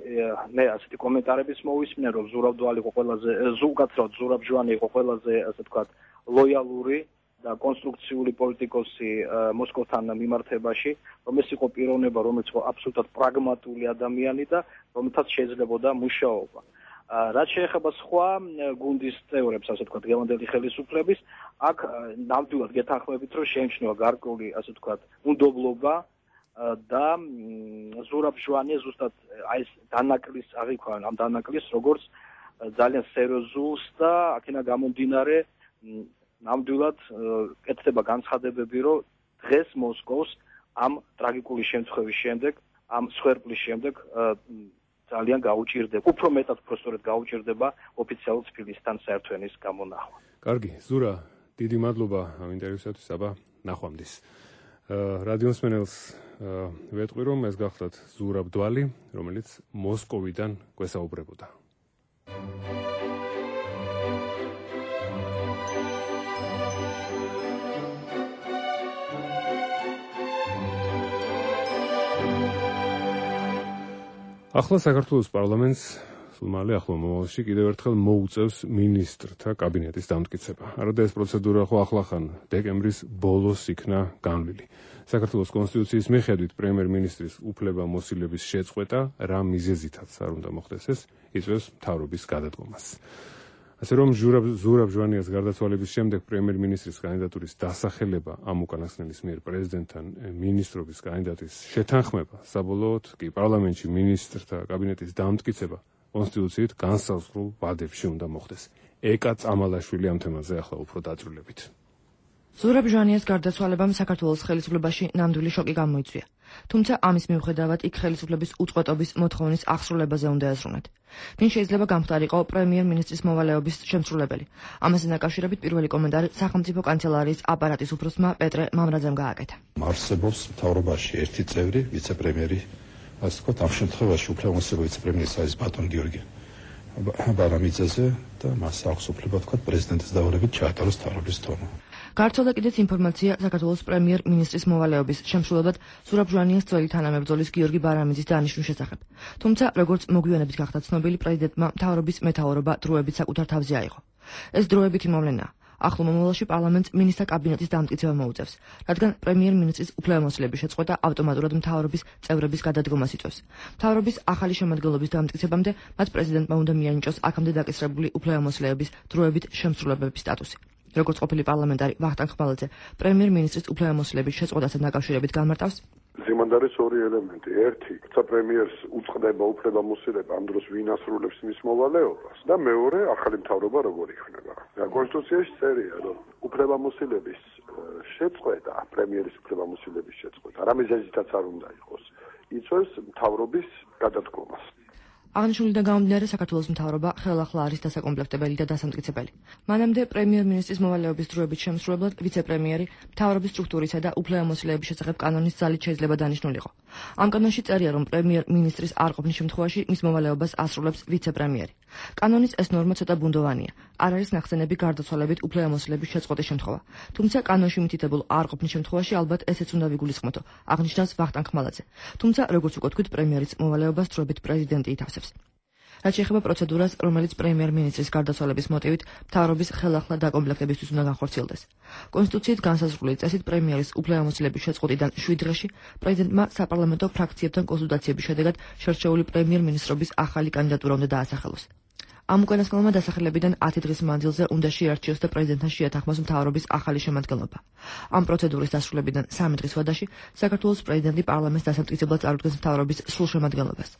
მე ასეთი კომენტარების მოვისმინე რომ ზურაბდვალი იყო ყველაზე ზოგადად ზურაბჟვანი იყო ყველაზე ასე ვთქვათ ლოიალური და კონსტრუქციული პოლიტიკოსი მოსკოვთან მიმართებაში, რომ ეს იყო პიროვნება, რომელიც იყო აბსოლუტურად პრაგმატული ადამიანი და რომელთაც შეიძლებოდა მუშაობა. რაც შეეხება სხვა გუნდის წევრებს, ასე ვთქვათ, გელანდელი ხელისუფლების, აქ ნამდვილად გეთანხმებით, რომ შეიმჩნევა გარკვეული, ასე ვთქვათ, უნდობლობა და ზურაბ ჟვანია ზუსტად აი ეს დანაკლის აღიქვან, ამ დანაკლის როგორც ძალიან სერიოზულს და აქენა გამომდინარე ნამდვილად კეთდება განცხადებები, რომ დღეს მოსკოვს ამ ტრაგიკული შემთხვევის შემდეგ, ამ სხერპლის შემდეგ ძალიან გაუჭირდება, უფრო მეტად პროსტორად გაუჭირდება ოფიციალურ თბილისთან საერთო ენის გამონახვა. კარგი, ზურა, დიდი მადლობა ამ ინტერვიუსათვის, აბა, ნახვამდის. რადიო მსმენელს ვეტყვი, რომ ეს გახლდათ ზურაბ დვალი, რომელიც მოსკოვიდან გვესაუბრებოდა. ახლა საქართველოს პარლამენტს მალე ახლა მომავალში კიდევ ერთხელ მოუწევს მინისტრთა კაბინეტის დამტკიცება. არადა ეს პროცედურა ხო ახლახან დეკემბრის ბოლოს იქნა განვლილი. საქართველოს კონსტიტუციის მიხედვით პრემიერ-მინისტრის უფლებამოსილების შეწყვეტა რა მიზეზითაც არ უნდა მოხდეს ეს იწვევს მთავრობის გადადგომას. ასე რომ ზურაბ ჟვანიას გარდაცვალების შემდეგ პრემიერ-მინისტრის კანდიდატურის დასახელება ამ უკანასკნელის მიერ პრეზიდენტთან მინისტრობის კანდიდატის შეთანხმება, საბოლოოდ კი პარლამენტში მინისტრთა კაბინეტის დამტკიცება კონსტიტუციით განსაზღვრულ ვადებში უნდა მოხდეს. ეკა წამალაშვილი ამ თემაზე ახლა უფრო დაწვრილებით. ზურაბ ჟვანიას გარდაცვალებამ საქართველოს ხელისუფლებაში ნამდვილი შოკი გამოიწვია. თუმცა ამის მიუხედავად იქ ხელისუფლების უწყვეტობის მოთხოვნის აღსრულებაზე უნდა ეზრუნათ. ვინ შეიძლება გამხდარიყო პრემიერ-მინისტრის მოვალეობის შემსრულებელი. ამასთან დაკავშირებით პირველი კომენტარი სახელმწიფო კანცელარიის აპარატის უფროსმა პეტრე მამრაძემ გააკეთა. არსებობს მთავრობაში ერთი წევრი, ვიცე-პრემიერი, ასე ვთქვათ, ამ შემთხვევაში უფლებამოსილი ვიცე-პრემიერი არის ბატონ გიორგი ბარამიძეზე და მას აქვს უფლება ვთქვათ პრეზიდენტის დავალებით ჩაატაროს მთავრობის თომა. გავრცელდა კიდეც ინფორმაცია საქართველოს პრემიერ-მინისტრის მოვალეობის შემსრულებლად ზურაბ ჟვანიას ძველი თანამებრძოლის გიორგი ბარამიძის დანიშვნის შესახებ. თუმცა, როგორც მოგვიანებით გახდა ცნობილი, პრეზიდენტმა მთავრობის მეთაურობა დროებით საკუთარ თავზე აიღო. ეს დროებითი მოვლენაა. ახლო მომავალში პარლამენტს მინისტრთა კაბინეტის დამტკიცება მოუწევს, რადგან პრემიერ-მინისტრის უფლებამოსილების შეწყვეტა ავტომატურად მთავრობის წევრების გადადგომას იწვევს. მთავრობის ახალი შემადგენლობის დამტკიცებამდე მათ პრეზიდენტმა უნდა მიანიჭოს აქამდე დაკისრებული უფლებამოსილების დროებით შემსრულებლების სტატუსი. როგორც ყოფილი პარლამენტარი ვახტანგ ხმალაძე პრემიერ-მინისტრის უფლებამოსილების შეწყვეტასთან დაკავშირებით გამარტავს, ზემოთ არის ორი ელემენტი. ერთი, თუმცა პრემიერს უწყდება უფლებამოსილება ამ დროს ვინ ასრულებს მის მოვალეობას და მეორე, ახალი მთავრობა როგორ იქნება. და კონსტიტუციაში წერია, რომ უფლებამოსილების შეწყვეტა, პრემიერის უფლებამოსილების შეწყვეტა, რა მიზეზითაც არ უნდა იყოს, იწვევს მთავრობის გადადგომას. აღნიშნულიდან გამომდინარე საქართველოს მთავრობა ხელახლა არის დასაკომპლექტებელი და დასამტკიცებელი. მანამდე პრემიერ-მინისტრის მოვალეობის დროებით შემსრულებლად ვიცე-პრემიერი მთავრობის სტრუქტურისა და უფლებამოსილების შესახებ კანონის ძალით შეიძლება დანიშნულიყო. ამ კანონში წერია, რომ პრემიერ-მინისტრის არ ყოფნის შემთხვევაში მის მოვალეობას ასრულებს ვიცე-პრემიერი. კანონის ეს ნორმა ცოტა ბუნდოვანია. არ არის ნახსენები გარდაცვალებით უფლებამოსილების შეწყვეტის შემთხვევა. თუმცა კანონში მითითებულ არ ყოფნის შემთხვევაში ალბათ ესეც უნდა ვიგულისხმოთო, აღნიშნავს ვახტანგ ხმალაძე. თუმცა, როგორც უკვე თქვით, პრემიერის მოვალეობას დროებით პრეზიდენტი ითავსებს. რაც შეეხება პროცედურას, რომელიც პრემიერ-მინისტრის გარდაცვალების მოტივით მთავრობის ხელახლა დაკომპლექტებისთვის უნდა განხორციელდეს. კონსტიტუციით განსაზღვრული წესით პრემიერის უფლებამოსილების შეწყვეტიდან შვიდ დღეში პრეზიდენტმა საპარლამენტო ფრაქციებთან კონსულტაციების შედეგად შერჩეული პრემიერ-მინისტრობის ახალი კანდიდატურა უნდა დაასახელოს. ამ უკანასკნელმა დასახელებიდან ათი დღის მანძილზე უნდა შეარჩიოს და პრეზიდენტთან შეათანხმოს მთავრობის ახალი შემადგენლობა. ამ პროცედურის დასრულებიდან სამი დღის ვადაში საქართველოს პრეზიდენტი პარლამენტს დასამტკიცებლად წარუდგენს მთავრობის სრულ შემადგენლობას.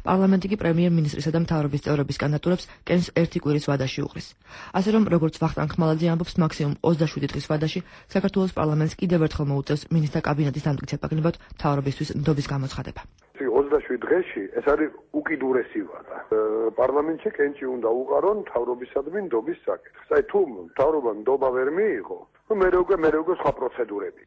პარლამენტი კი პრემიერ-მინისტრისა და მთავრობის წევრების კანდიდატურებს კენს ერთი კვირის ვადაში უყრის. ასე რომ, როგორც ვახტანგ ხმალაძე ამბობს, მაქსიმუმ ოცდაშვიდი დღის ვადაში საქართველოს პარლამენტს კიდევ ერთხელ მოუწევს მინისტრთა კაბინეტის დამტკიცება გნებავთ მთავრობისთვის ნდობის გამოცხადება. ოცდაშვიდი დღეში ეს არის უკიდურესი ვადა. პარლამენტში კენჭი უნდა უყარონ მთავრობისადმი ნდობის საკითხს. აი თუ მთავრობა ნდობა ვერ მიიღო, მერე უკვე მერე უკვე სხვა პროცედურები.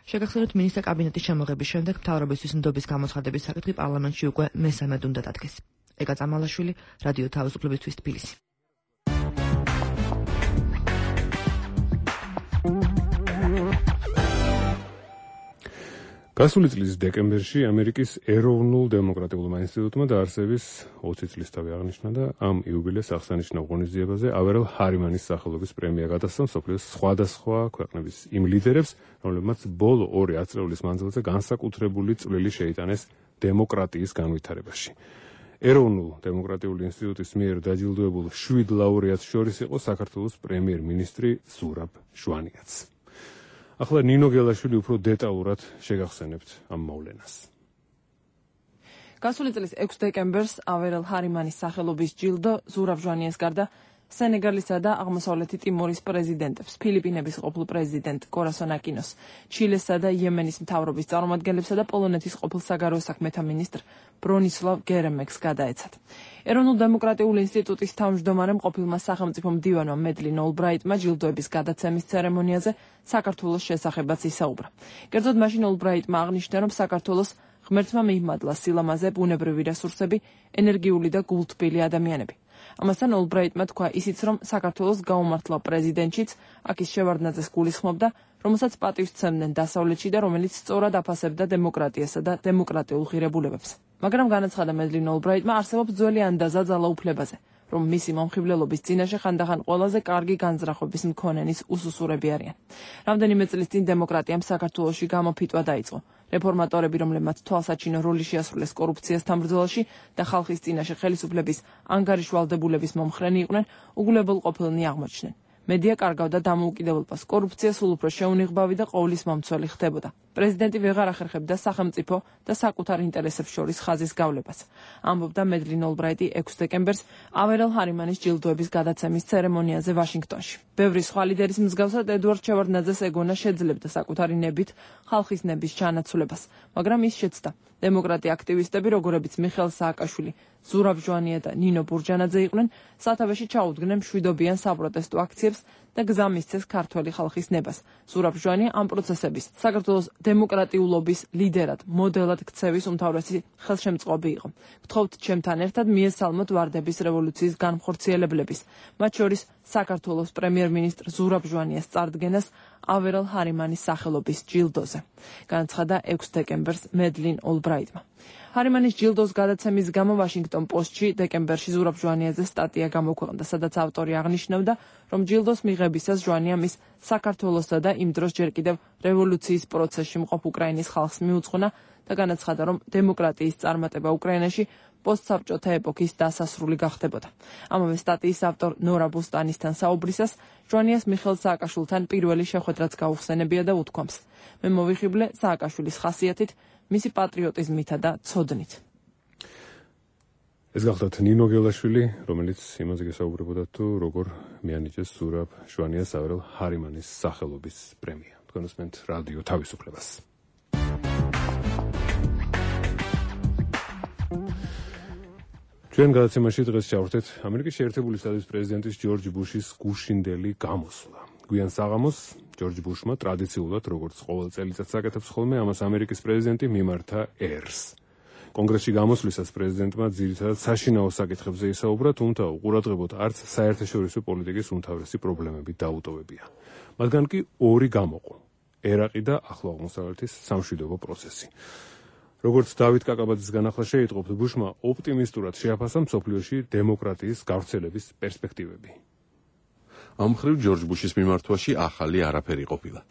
შეგახსენოთ, მინისტრთა კაბინეტის შემოღების შემდეგ მთავრობისთვის ნდობის გამოცხადების საკითხი პარლამენტში უკვე მესამედ უნდა დადგეს. ეკა წამალაშვილი, რადიო თავისუფლებისთვის თბილისი. გასული წლის დეკემბერში ამერიკის ეროვნულ დემოკრატიულმა ინსტიტუტმა დაარსების ოცი წლისთავი აღნიშნა და ამ იუბილეს აღსანიშნავ ღონისძიებაზე ავერელ ჰარიმანის სახელობის პრემია გადასცა მსოფლიოს სხვადასხვა ქვეყნების იმ ლიდერებს, რომლებმაც ბოლო ორი ათწლეულის მანძილზე განსაკუთრებული წვლილი შეიტანეს დემოკრატიის განვითარებაში. ეროვნულ დემოკრატიული ინსტიტუტის მიერ დაჯილდოებულ შვიდ ლაურეატს შორის იყო საქართველოს პრემიერ-მინისტრი ზურაბ ჟვანიაც. ახლა ნინო გელაშვილი უფრო დეტალურად შეგახსენებთ ამ მოვლენას. გასული წლის ექვსი დეკემბერს ავერელ ჰარიმანის სახელობის ჯილდო ზურაბ ჟვანიას გარდა სენეგალისა და აღმოსავლეთი ტიმორის პრეზიდენტებს, ფილიპინების ყოფილ პრეზიდენტ კორასონ აკინოს, ჩილესა და იემენის მთავრობის წარმომადგენლებსა და პოლონეთის ყოფილ საგარეო საქმეთა მინისტრ ბრონისლავ გერემექს გადაეცათ. ეროვნულ დემოკრატიული ინსტიტუტის თავმჯდომარემ ყოფილმა სახელმწიფო მდივანმა მედლინ ოლბრაიტმა ჯილდოების გადაცემის ცერემონიაზე საქართველოს შესახებაც ისაუბრა. კერძოდ მაშინ ოლბრაიტმა აღნიშნა, რომ საქართველოს ღმერთმა მიიმადლა სილამაზე, ბუნებრივი რესურსები, ენერგიული და გულთბილი ადამიანები. ამასთან ოლბრაიტმა თქვა ისიც, რომ საქართველოს გაუმართლა პრეზიდენტშიც, აკის შევარდნაძეს გულისხმობდა, რომელსაც პატივს სცემდნენ დასავლეთში და რომელიც სწორად აფასებდა დემოკრატიასა და დემოკრატიულ ღირებულებებს. მაგრამ განაცხადა მედლინ ოლბრაიტმა, არსებობს ძველი ანდაზა ძალაუფლებაზე, რომ მისი მომხიბლელობის წინაშე ხანდახან ყველაზე კარგი განზრახვების მქონენის უსუსურები არიან. რამდენიმე წლის წინ დემოკრატიამ საქართველოში გამოფიტვა დაიწყო. რეფორმატორები, რომლებმაც თვალსაჩინო როლი შეასრულეს კორუფციასთან ბრძოლაში და ხალხის წინაშე ხელისუფლების ანგარიშვალდებულების მომხრენი იყვნენ, უგულებელ ყოფილნი აღმოჩნდნენ. მედია კარგავდა დამოუკიდებლობას, კორუფცია სულ უფრო შეუნიღბავი და ყოვლის მომცველი ხდებოდა. პრეზიდენტი ვეღარ ახერხებდა სახელმწიფო და საკუთარ ინტერესებს შორის ხაზის გავლებას. ამბობდა მედლინ ოლბრაიტი ექვსი დეკემბერს ავერელ ჰარიმანის ჯილდოების გადაცემის ცერემონიაზე ვაშინგტონში. ბევრი სხვა ლიდერის მსგავსად ედუარდ შევარდნაძეს ეგონა შეძლებდა საკუთარი ნებით ხალხის ნების ჩანაცვლებას, მაგრამ ის შეცდა. დემოკრატი აქტივისტები, როგორებიც მიხეილ სააკაშვილი, ზურაბ ჟვანია და ნინო ბურჯანაძე იყვნენ, სათავეში ჩაუდგნენ მშვიდობიან საპროტესტო აქციებს და გზა მისცეს ქართველი ხალხის ნებას. ზურაბ ჟვანია ამ პროცესების საქართველოს დემოკრატიულობის ლიდერად, მოდელად ქცევის უმთავრესი ხელშემწყობი იყო. გთხოვთ ჩემთან ერთად მიესალმოთ ვარდების რევოლუციის განმხორციელებლების, მათ შორის საქართველოს პრემიერ-მინისტრ ზურაბ ჟვანიას წარდგენას ავერელ ჰარიმანის სახელობის ჯილდოზე. განაცხადა ექვსი დეკემბერს მედლინ ოლბრაიტმა. ჰარიმანის ჯილდოს გადაცემის გამო ვაშინგტონ პოსტში დეკემბერში ზურაბ ჟვანიაძე სტატია გამოქვეყნდა, სადაც ავტორი აღნიშნავდა, რომ ჯილდოს მიღებისას ჟვანია მის საქართველოსა და იმ დროს ჯერ კიდევ რევოლუციის პროცესში მყოფ უკრაინის ხალხს მიუძღვნა და განაცხადა, რომ დემოკრატიის წარმატება უკრაინაში პოსტსაბჭოთა ეპოქის დასასრული გახდებოდა. ამავე სტატიის ავტორ ნორა ბუსტანისთან საუბრისას ჟვანიას მიხეილ სააკაშვილთან პირველი შეხვედრაც გაუხსენებია და უთქვამს: მე მოვიხიბლე სააკაშვილის ხასიათით, მისი პატრიოტიზმითა და ცოდნით. ეს გახლავთ ნინო გელაშვილი, რომელიც იმაზე გესაუბრებოდა თუ როგორ მიანიჭეს ზურაბ ჟვანიას ავერელ ჰარიმანის სახელობის პრემია. თქვენ უსმენთ რადიო თავისუფლებას. ჩვენ გადაცემაში დღეს ჩავერთეთ ამერიკის შეერთებული შტატების პრეზიდენტის ჯორჯ ბუშის გუშინდელი გამოსვლა. გვიან საღამოს ჯორჯ ბუშმა ტრადიციულად, როგორც ყოველ წელიწადს აკეთებს ხოლმე, ამას ამერიკის პრეზიდენტი მიმართა ერს. კონგრესში გამოსვლისას პრეზიდენტმა ძირითადად საშინაო საკითხებზე ისაუბრა, თუმცა უყურადღებოდ არც საერთაშორისო პოლიტიკის უმთავრესი პრობლემები დაუტოვებია. მათგან კი ორი გამოყო: ერაყი და ახლო აღმოსავლეთის სამშვიდობო პროცესი. როგორც დავით კაკაბაძის განახლა შეიტყობთ, ბუშმა ოპტიმისტურად შეაფასა მსოფლიოში დემოკრატიის გავრცელების პერსპექტივები. ამ მხრივ ჯორჯ ბუშის მიმართვაში ახალი არაფერი ყოფილა.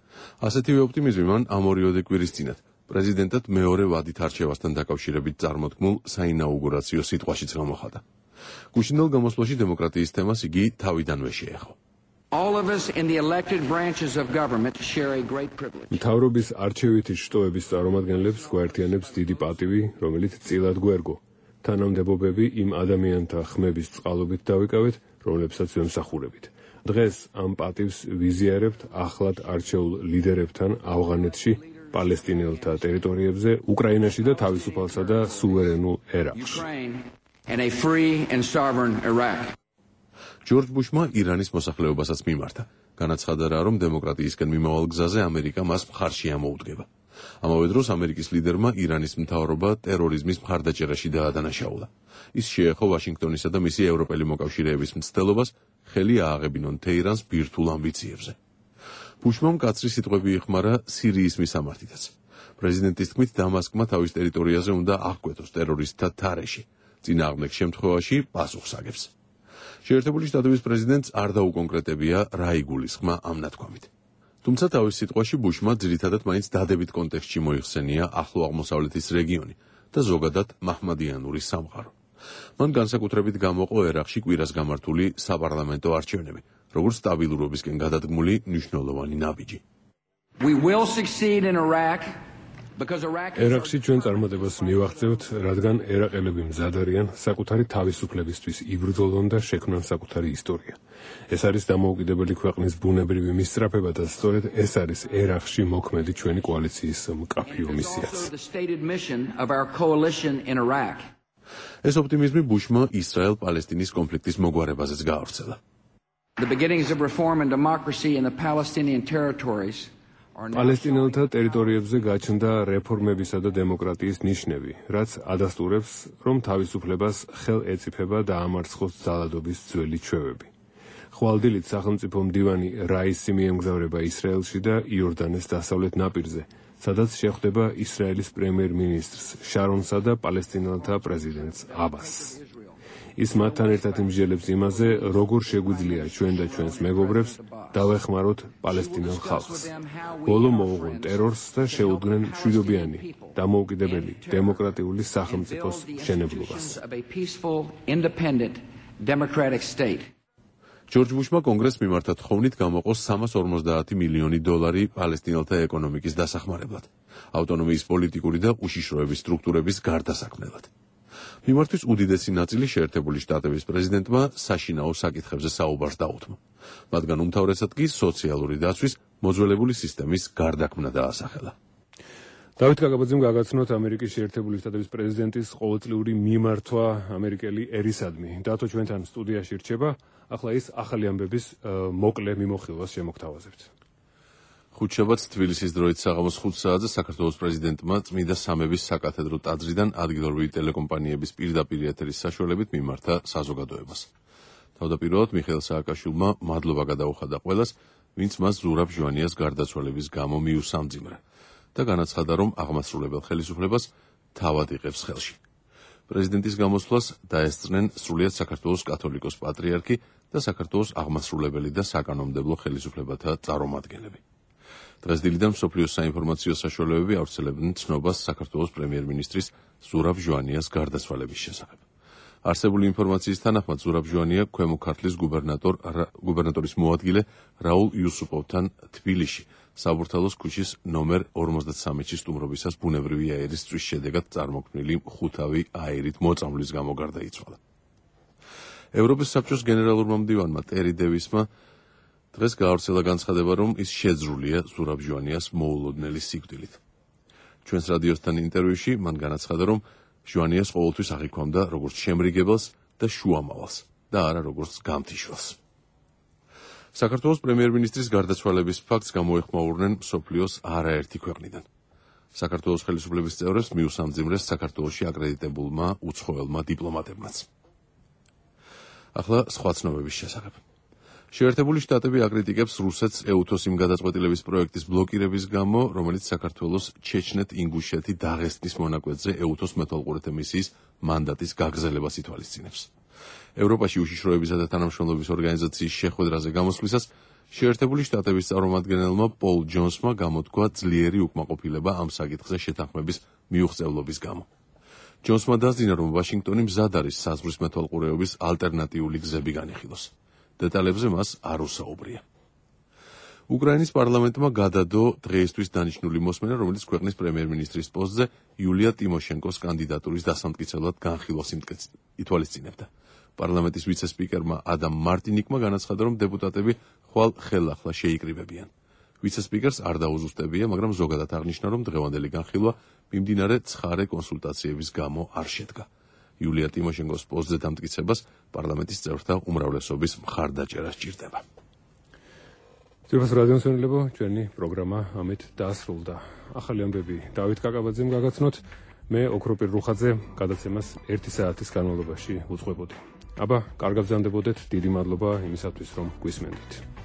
ასეთივე ოპტიმიზმი მან ამ ორიოდე კვირის წინათ პრეზიდენტად მეორე ვადით არჩევასთან დაკავშირებით წარმოთქმულ საინაუგურაციო სიტყვაშიც გამოხატა. გუშინდელ გამოსვლაში დემოკრატიის თემას იგი თავიდანვე შეეხო. All of us in the elected branches of government share a great privilege. მთავრობის არჩევითი შტოების წარმომადგენლებს გვაერთიანებს დიდი პატივი, რომელიც წილად გვერგო. თანამდებობები იმ ადამიანთა ხმების წყალობით დავიკავეთ, რომლებსაც ვემსახურებით. დღეს ამ პატივს ვიზიარებთ ახლად არჩეულ ლიდერებთან ავღანეთში, პალესტინელთა ტერიტორიებზე, უკრაინაში და თავისუფალსა და სუვერენულ ერაყში. And a free and sovereign Iraq. ჯორჯ ბუშმა ირანის მოსახლეობასაც მიმართა. განაცხადა რა, რომ დემოკრატიისკენ მიმავალ გზაზე ამერიკა მას მხარში ამოუდგება. ამავე დროს ამერიკის ლიდერმა ირანის მთავრობა ტერორიზმის მხარდაჭერაში დაადანაშაულა. ის შეეხო ვაშინგტონისა და მისი ევროპელი მოკავშირეების მცდელობას ხელი ააღებინონ თეირანს ბირთვულ ამბიციებზე. ბუშმა მკაცრი სიტყვები იხმარა სირიის მისამართითაც. პრეზიდენტის თქმით, დამასკმა თავის ტერიტორიაზე უნდა აღკვეთოს ტერორისტთა თარეში. წინააღმდეგ შემთხვევაში პასუხს აგებს. შეერთებული შტატების პრეზიდენტს არ დაუკონკრეტებია რა იგულისხმა ამ ნათქვამით. თუმცა თავის სიტყვაში ბუშმა ძირითადად მაინც დადებით კონტექსტში მოიხსენია ახლო აღმოსავლეთის რეგიონი და ზოგადად მაჰმადიანური სამყარო. მან განსაკუთრებით გამოყო ერაყში კვირას გამართული საპარლამენტო არჩევნები, როგორც სტაბილურობისკენ გადადგმული მნიშვნელოვანი ნაბიჯი. We will succeed in Iraq. ერაყში ჩვენ წარმატებას მივაღწევთ, რადგან ერაყელები მზად არიან საკუთარი თავისუფლებისთვის იბრძოლონ და შექმნან საკუთარი ისტორია. ეს არის დამოუკიდებელი ქვეყნის ბუნებრივი მისწრაფება და სწორედ ეს არის ერაყში მოქმედი ჩვენი კოალიციის მკაფიო მისიაც. ეს ოპტიმიზმი ბუშმა ისრაელ-პალესტინის კონფლიქტის მოგვარებაზეც გაავრცელა. The beginnings of reform and democracy in the Palestinian territories პალესტინელთა ტერიტორიებზე გაჩნდა რეფორმებისა და დემოკრატიის ნიშნები, რაც ადასტურებს, რომ თავისუფლებას ხელ ეწიფება და ამარცხოს ძალადობის ძველი ჩვევები. ხვალდილით სახელმწიფო მდივანი რაისი მიემგზავრება ისრაელში და იორდანეს დასავლეთ ნაპირზე, სადაც შეხვდება ისრაელის პრემიერ-მინისტრს შარონსა და პალესტინელთა პრეზიდენტს აბასს. ის მათთან ერთად იმსჯელებს იმაზე, როგორ შეგვიძლია ჩვენ და ჩვენს მეგობრებს დავეხმაროთ პალესტინელ ხალხს. ბოლო მოუღონ ტერორს და შეუდგნენ მშვიდობიანი, დამოუკიდებელი, დემოკრატიული სახელმწიფოს მშენებლობას. ჯორჯ ბუშმა კონგრესს მიმართა თხოვნით გამოყო სამას ორმოცდაათი მილიონი დოლარი პალესტინელთა ეკონომიკის დასახმარებლად, ავტონომიის პოლიტიკური და უშიშროების სტრუქტურების გარდასაქმნელად. მიმართვის უდიდესი ნაწილი შეერთებული შტატების პრეზიდენტმა საშინაო საკითხებზე საუბარს დაუთმო. მათგან უმთავრესად კი სოციალური დაცვის მოძველებული სისტემის გარდაქმნა დაასახელა. დავით კაკაბაძემ გაგაცნოთ ამერიკის შეერთებული შტატების პრეზიდენტის ყოველწლიური მიმართვა ამერიკელი ერისადმი. დათო ჩვენთან სტუდიაში რჩება, ახლა ის ახალი ამბების მოკლე მიმოხილვას შემოგთავაზებთ. ხუთშაბათს თბილისის დროით საღამოს ხუთ საათზე საქართველოს პრეზიდენტმა წმიდა სამების საკათედრო ტაძრიდან ადგილობრივი ტელეკომპანიების პირდაპირ ეთერის საშუალებით მიმართა საზოგადოებას. თავდაპირველად მიხეილ სააკაშვილმა მადლობა გადაუხადა ყველას, ვინც მას ზურაბ ჟვანიას გარდაცვალების გამო მიუსამძიმრა და განაცხადა, რომ აღმასრულებელ ხელისუფლებას თავად იღებს ხელში. პრეზიდენტის გამოსვლას დაესწრნენ სრულიად საქართველოს კათოლიკოს პატრიარქი და საქართველოს აღმასრულებელი და საკანონმდებლო ხელისუფლებათა წარმომადგენლები. დღეს დილიდან მსოფლიოს საინფორმაციო საშუალებები ავრცელებდნენ ცნობას საქართველოს პრემიერ-მინისტრის ზურაბ ჟვანიას გარდაცვალების შესახებ. არსებული ინფორმაციის თანახმად ზურაბ ჟვანია ქვემო ქართლის გუბერნატორ გუბერნატორის მოადგილე რაულ იუსუპოვთან თბილისში საბურთალოს ქუჩის ნომერ ორმოცდასამში სტუმრობისას ბუნებრივი აირის წვის შედეგად წარმოქმნილი ხუთავი აირით მოწამვლის გამო გარდაიცვალა. ევროპის საბჭოს გენერალურმა მდივანმა ტერი დევისმა დღეს გაავრცელა განცხადება, რომ ის შეძრულია ზურაბ ჟვანიას მოულოდნელი სიკვდილით. ჩვენს რადიოსთან ინტერვიუში მან განაცხადა, რომ ჟვანიას ყოველთვის აღიქვამდა როგორც შემრიგებელს და შუამავალს და არა როგორც გამთიშველს. საქართველოს პრემიერ-მინისტრის გარდაცვალების ფაქტს გამოეხმაურნენ მსოფლიოს არაერთი ქვეყნიდან. საქართველოს ხელისუფლების წევრებს მიუსამძიმრეს საქართველოში აკრედიტებულმა უცხოელმა დიპლომატებმაც. ახლა სხვა ცნობების შესახებ. შეერთებული შტატები აკრიტიკებს რუსეთს ეუთოს იმ გადაწყვეტილების პროექტის ბლოკირების გამო, რომელიც საქართველოს ჩეჩნეთ-ინგუშეთი დაღესტნის მონაკვეთზე ეუთოს მეთვალყურეთა მისიის მანდატის გაგრძელებას ითვალისწინებს. ევროპაში უშიშროებისა და თანამშრომლობის ორგანიზაციის შეხვედრაზე გამოსვლისას შეერთებული შტატების წარმომადგენელმა პოლ ჯონსმა გამოთქვა ძლიერი უკმაყოფილება ამ საკითხზე შეთანხმების მიუღწევლობის გამო. ჯონსმა დასძინა, რომ ვაშინგტონი მზად არის საზღვრის მეთვალყურეობის ალტერნატიული გზები განიხილოს. დეტალებზე მას არ უსაუბრია. უკრაინის პარლამენტმა გადადო დღეისთვის დანიშნული მოსმენა, რომელიც ქვეყნის პრემიერ-მინისტრის პოსტზე იულია ტიმოშენკოს კანდიდატურის დასამტკიცებლად განხილვას ითვალისწინებდა. პარლამენტის ვიცე-სპიკერმა ადამ მარტინიკმა განაცხადა, რომ დეპუტატები ხვალ ხელახლა შეიკრიბებიან. ვიცე-სპიკერს არ დაუზუსტებია, მაგრამ ზოგადად აღნიშნა, რომ დღევანდელი განხილვა მიმდინარე ცხარე კონსულტაციების გამო არ შედგა. იულია ტიმოშენკოს პოსტზე დამტკიცებას პარლამენტის წევრთა უმრავლესობის მხარდაჭერა სჭირდება. ძვირფას რადიომსმენელებო, ჩვენი პროგრამა ამით დაასრულდა. ახალი ამბები დავით კაკაბაძემ გაგაცნოთ, მე ოქროპირ რუხაძე გადაცემას ერთი საათის განმავლობაში უძღვებოდი. აბა, კარგად გრძანდებოდეთ, დიდი მადლობა იმისათვის, რომ გვისმენდით.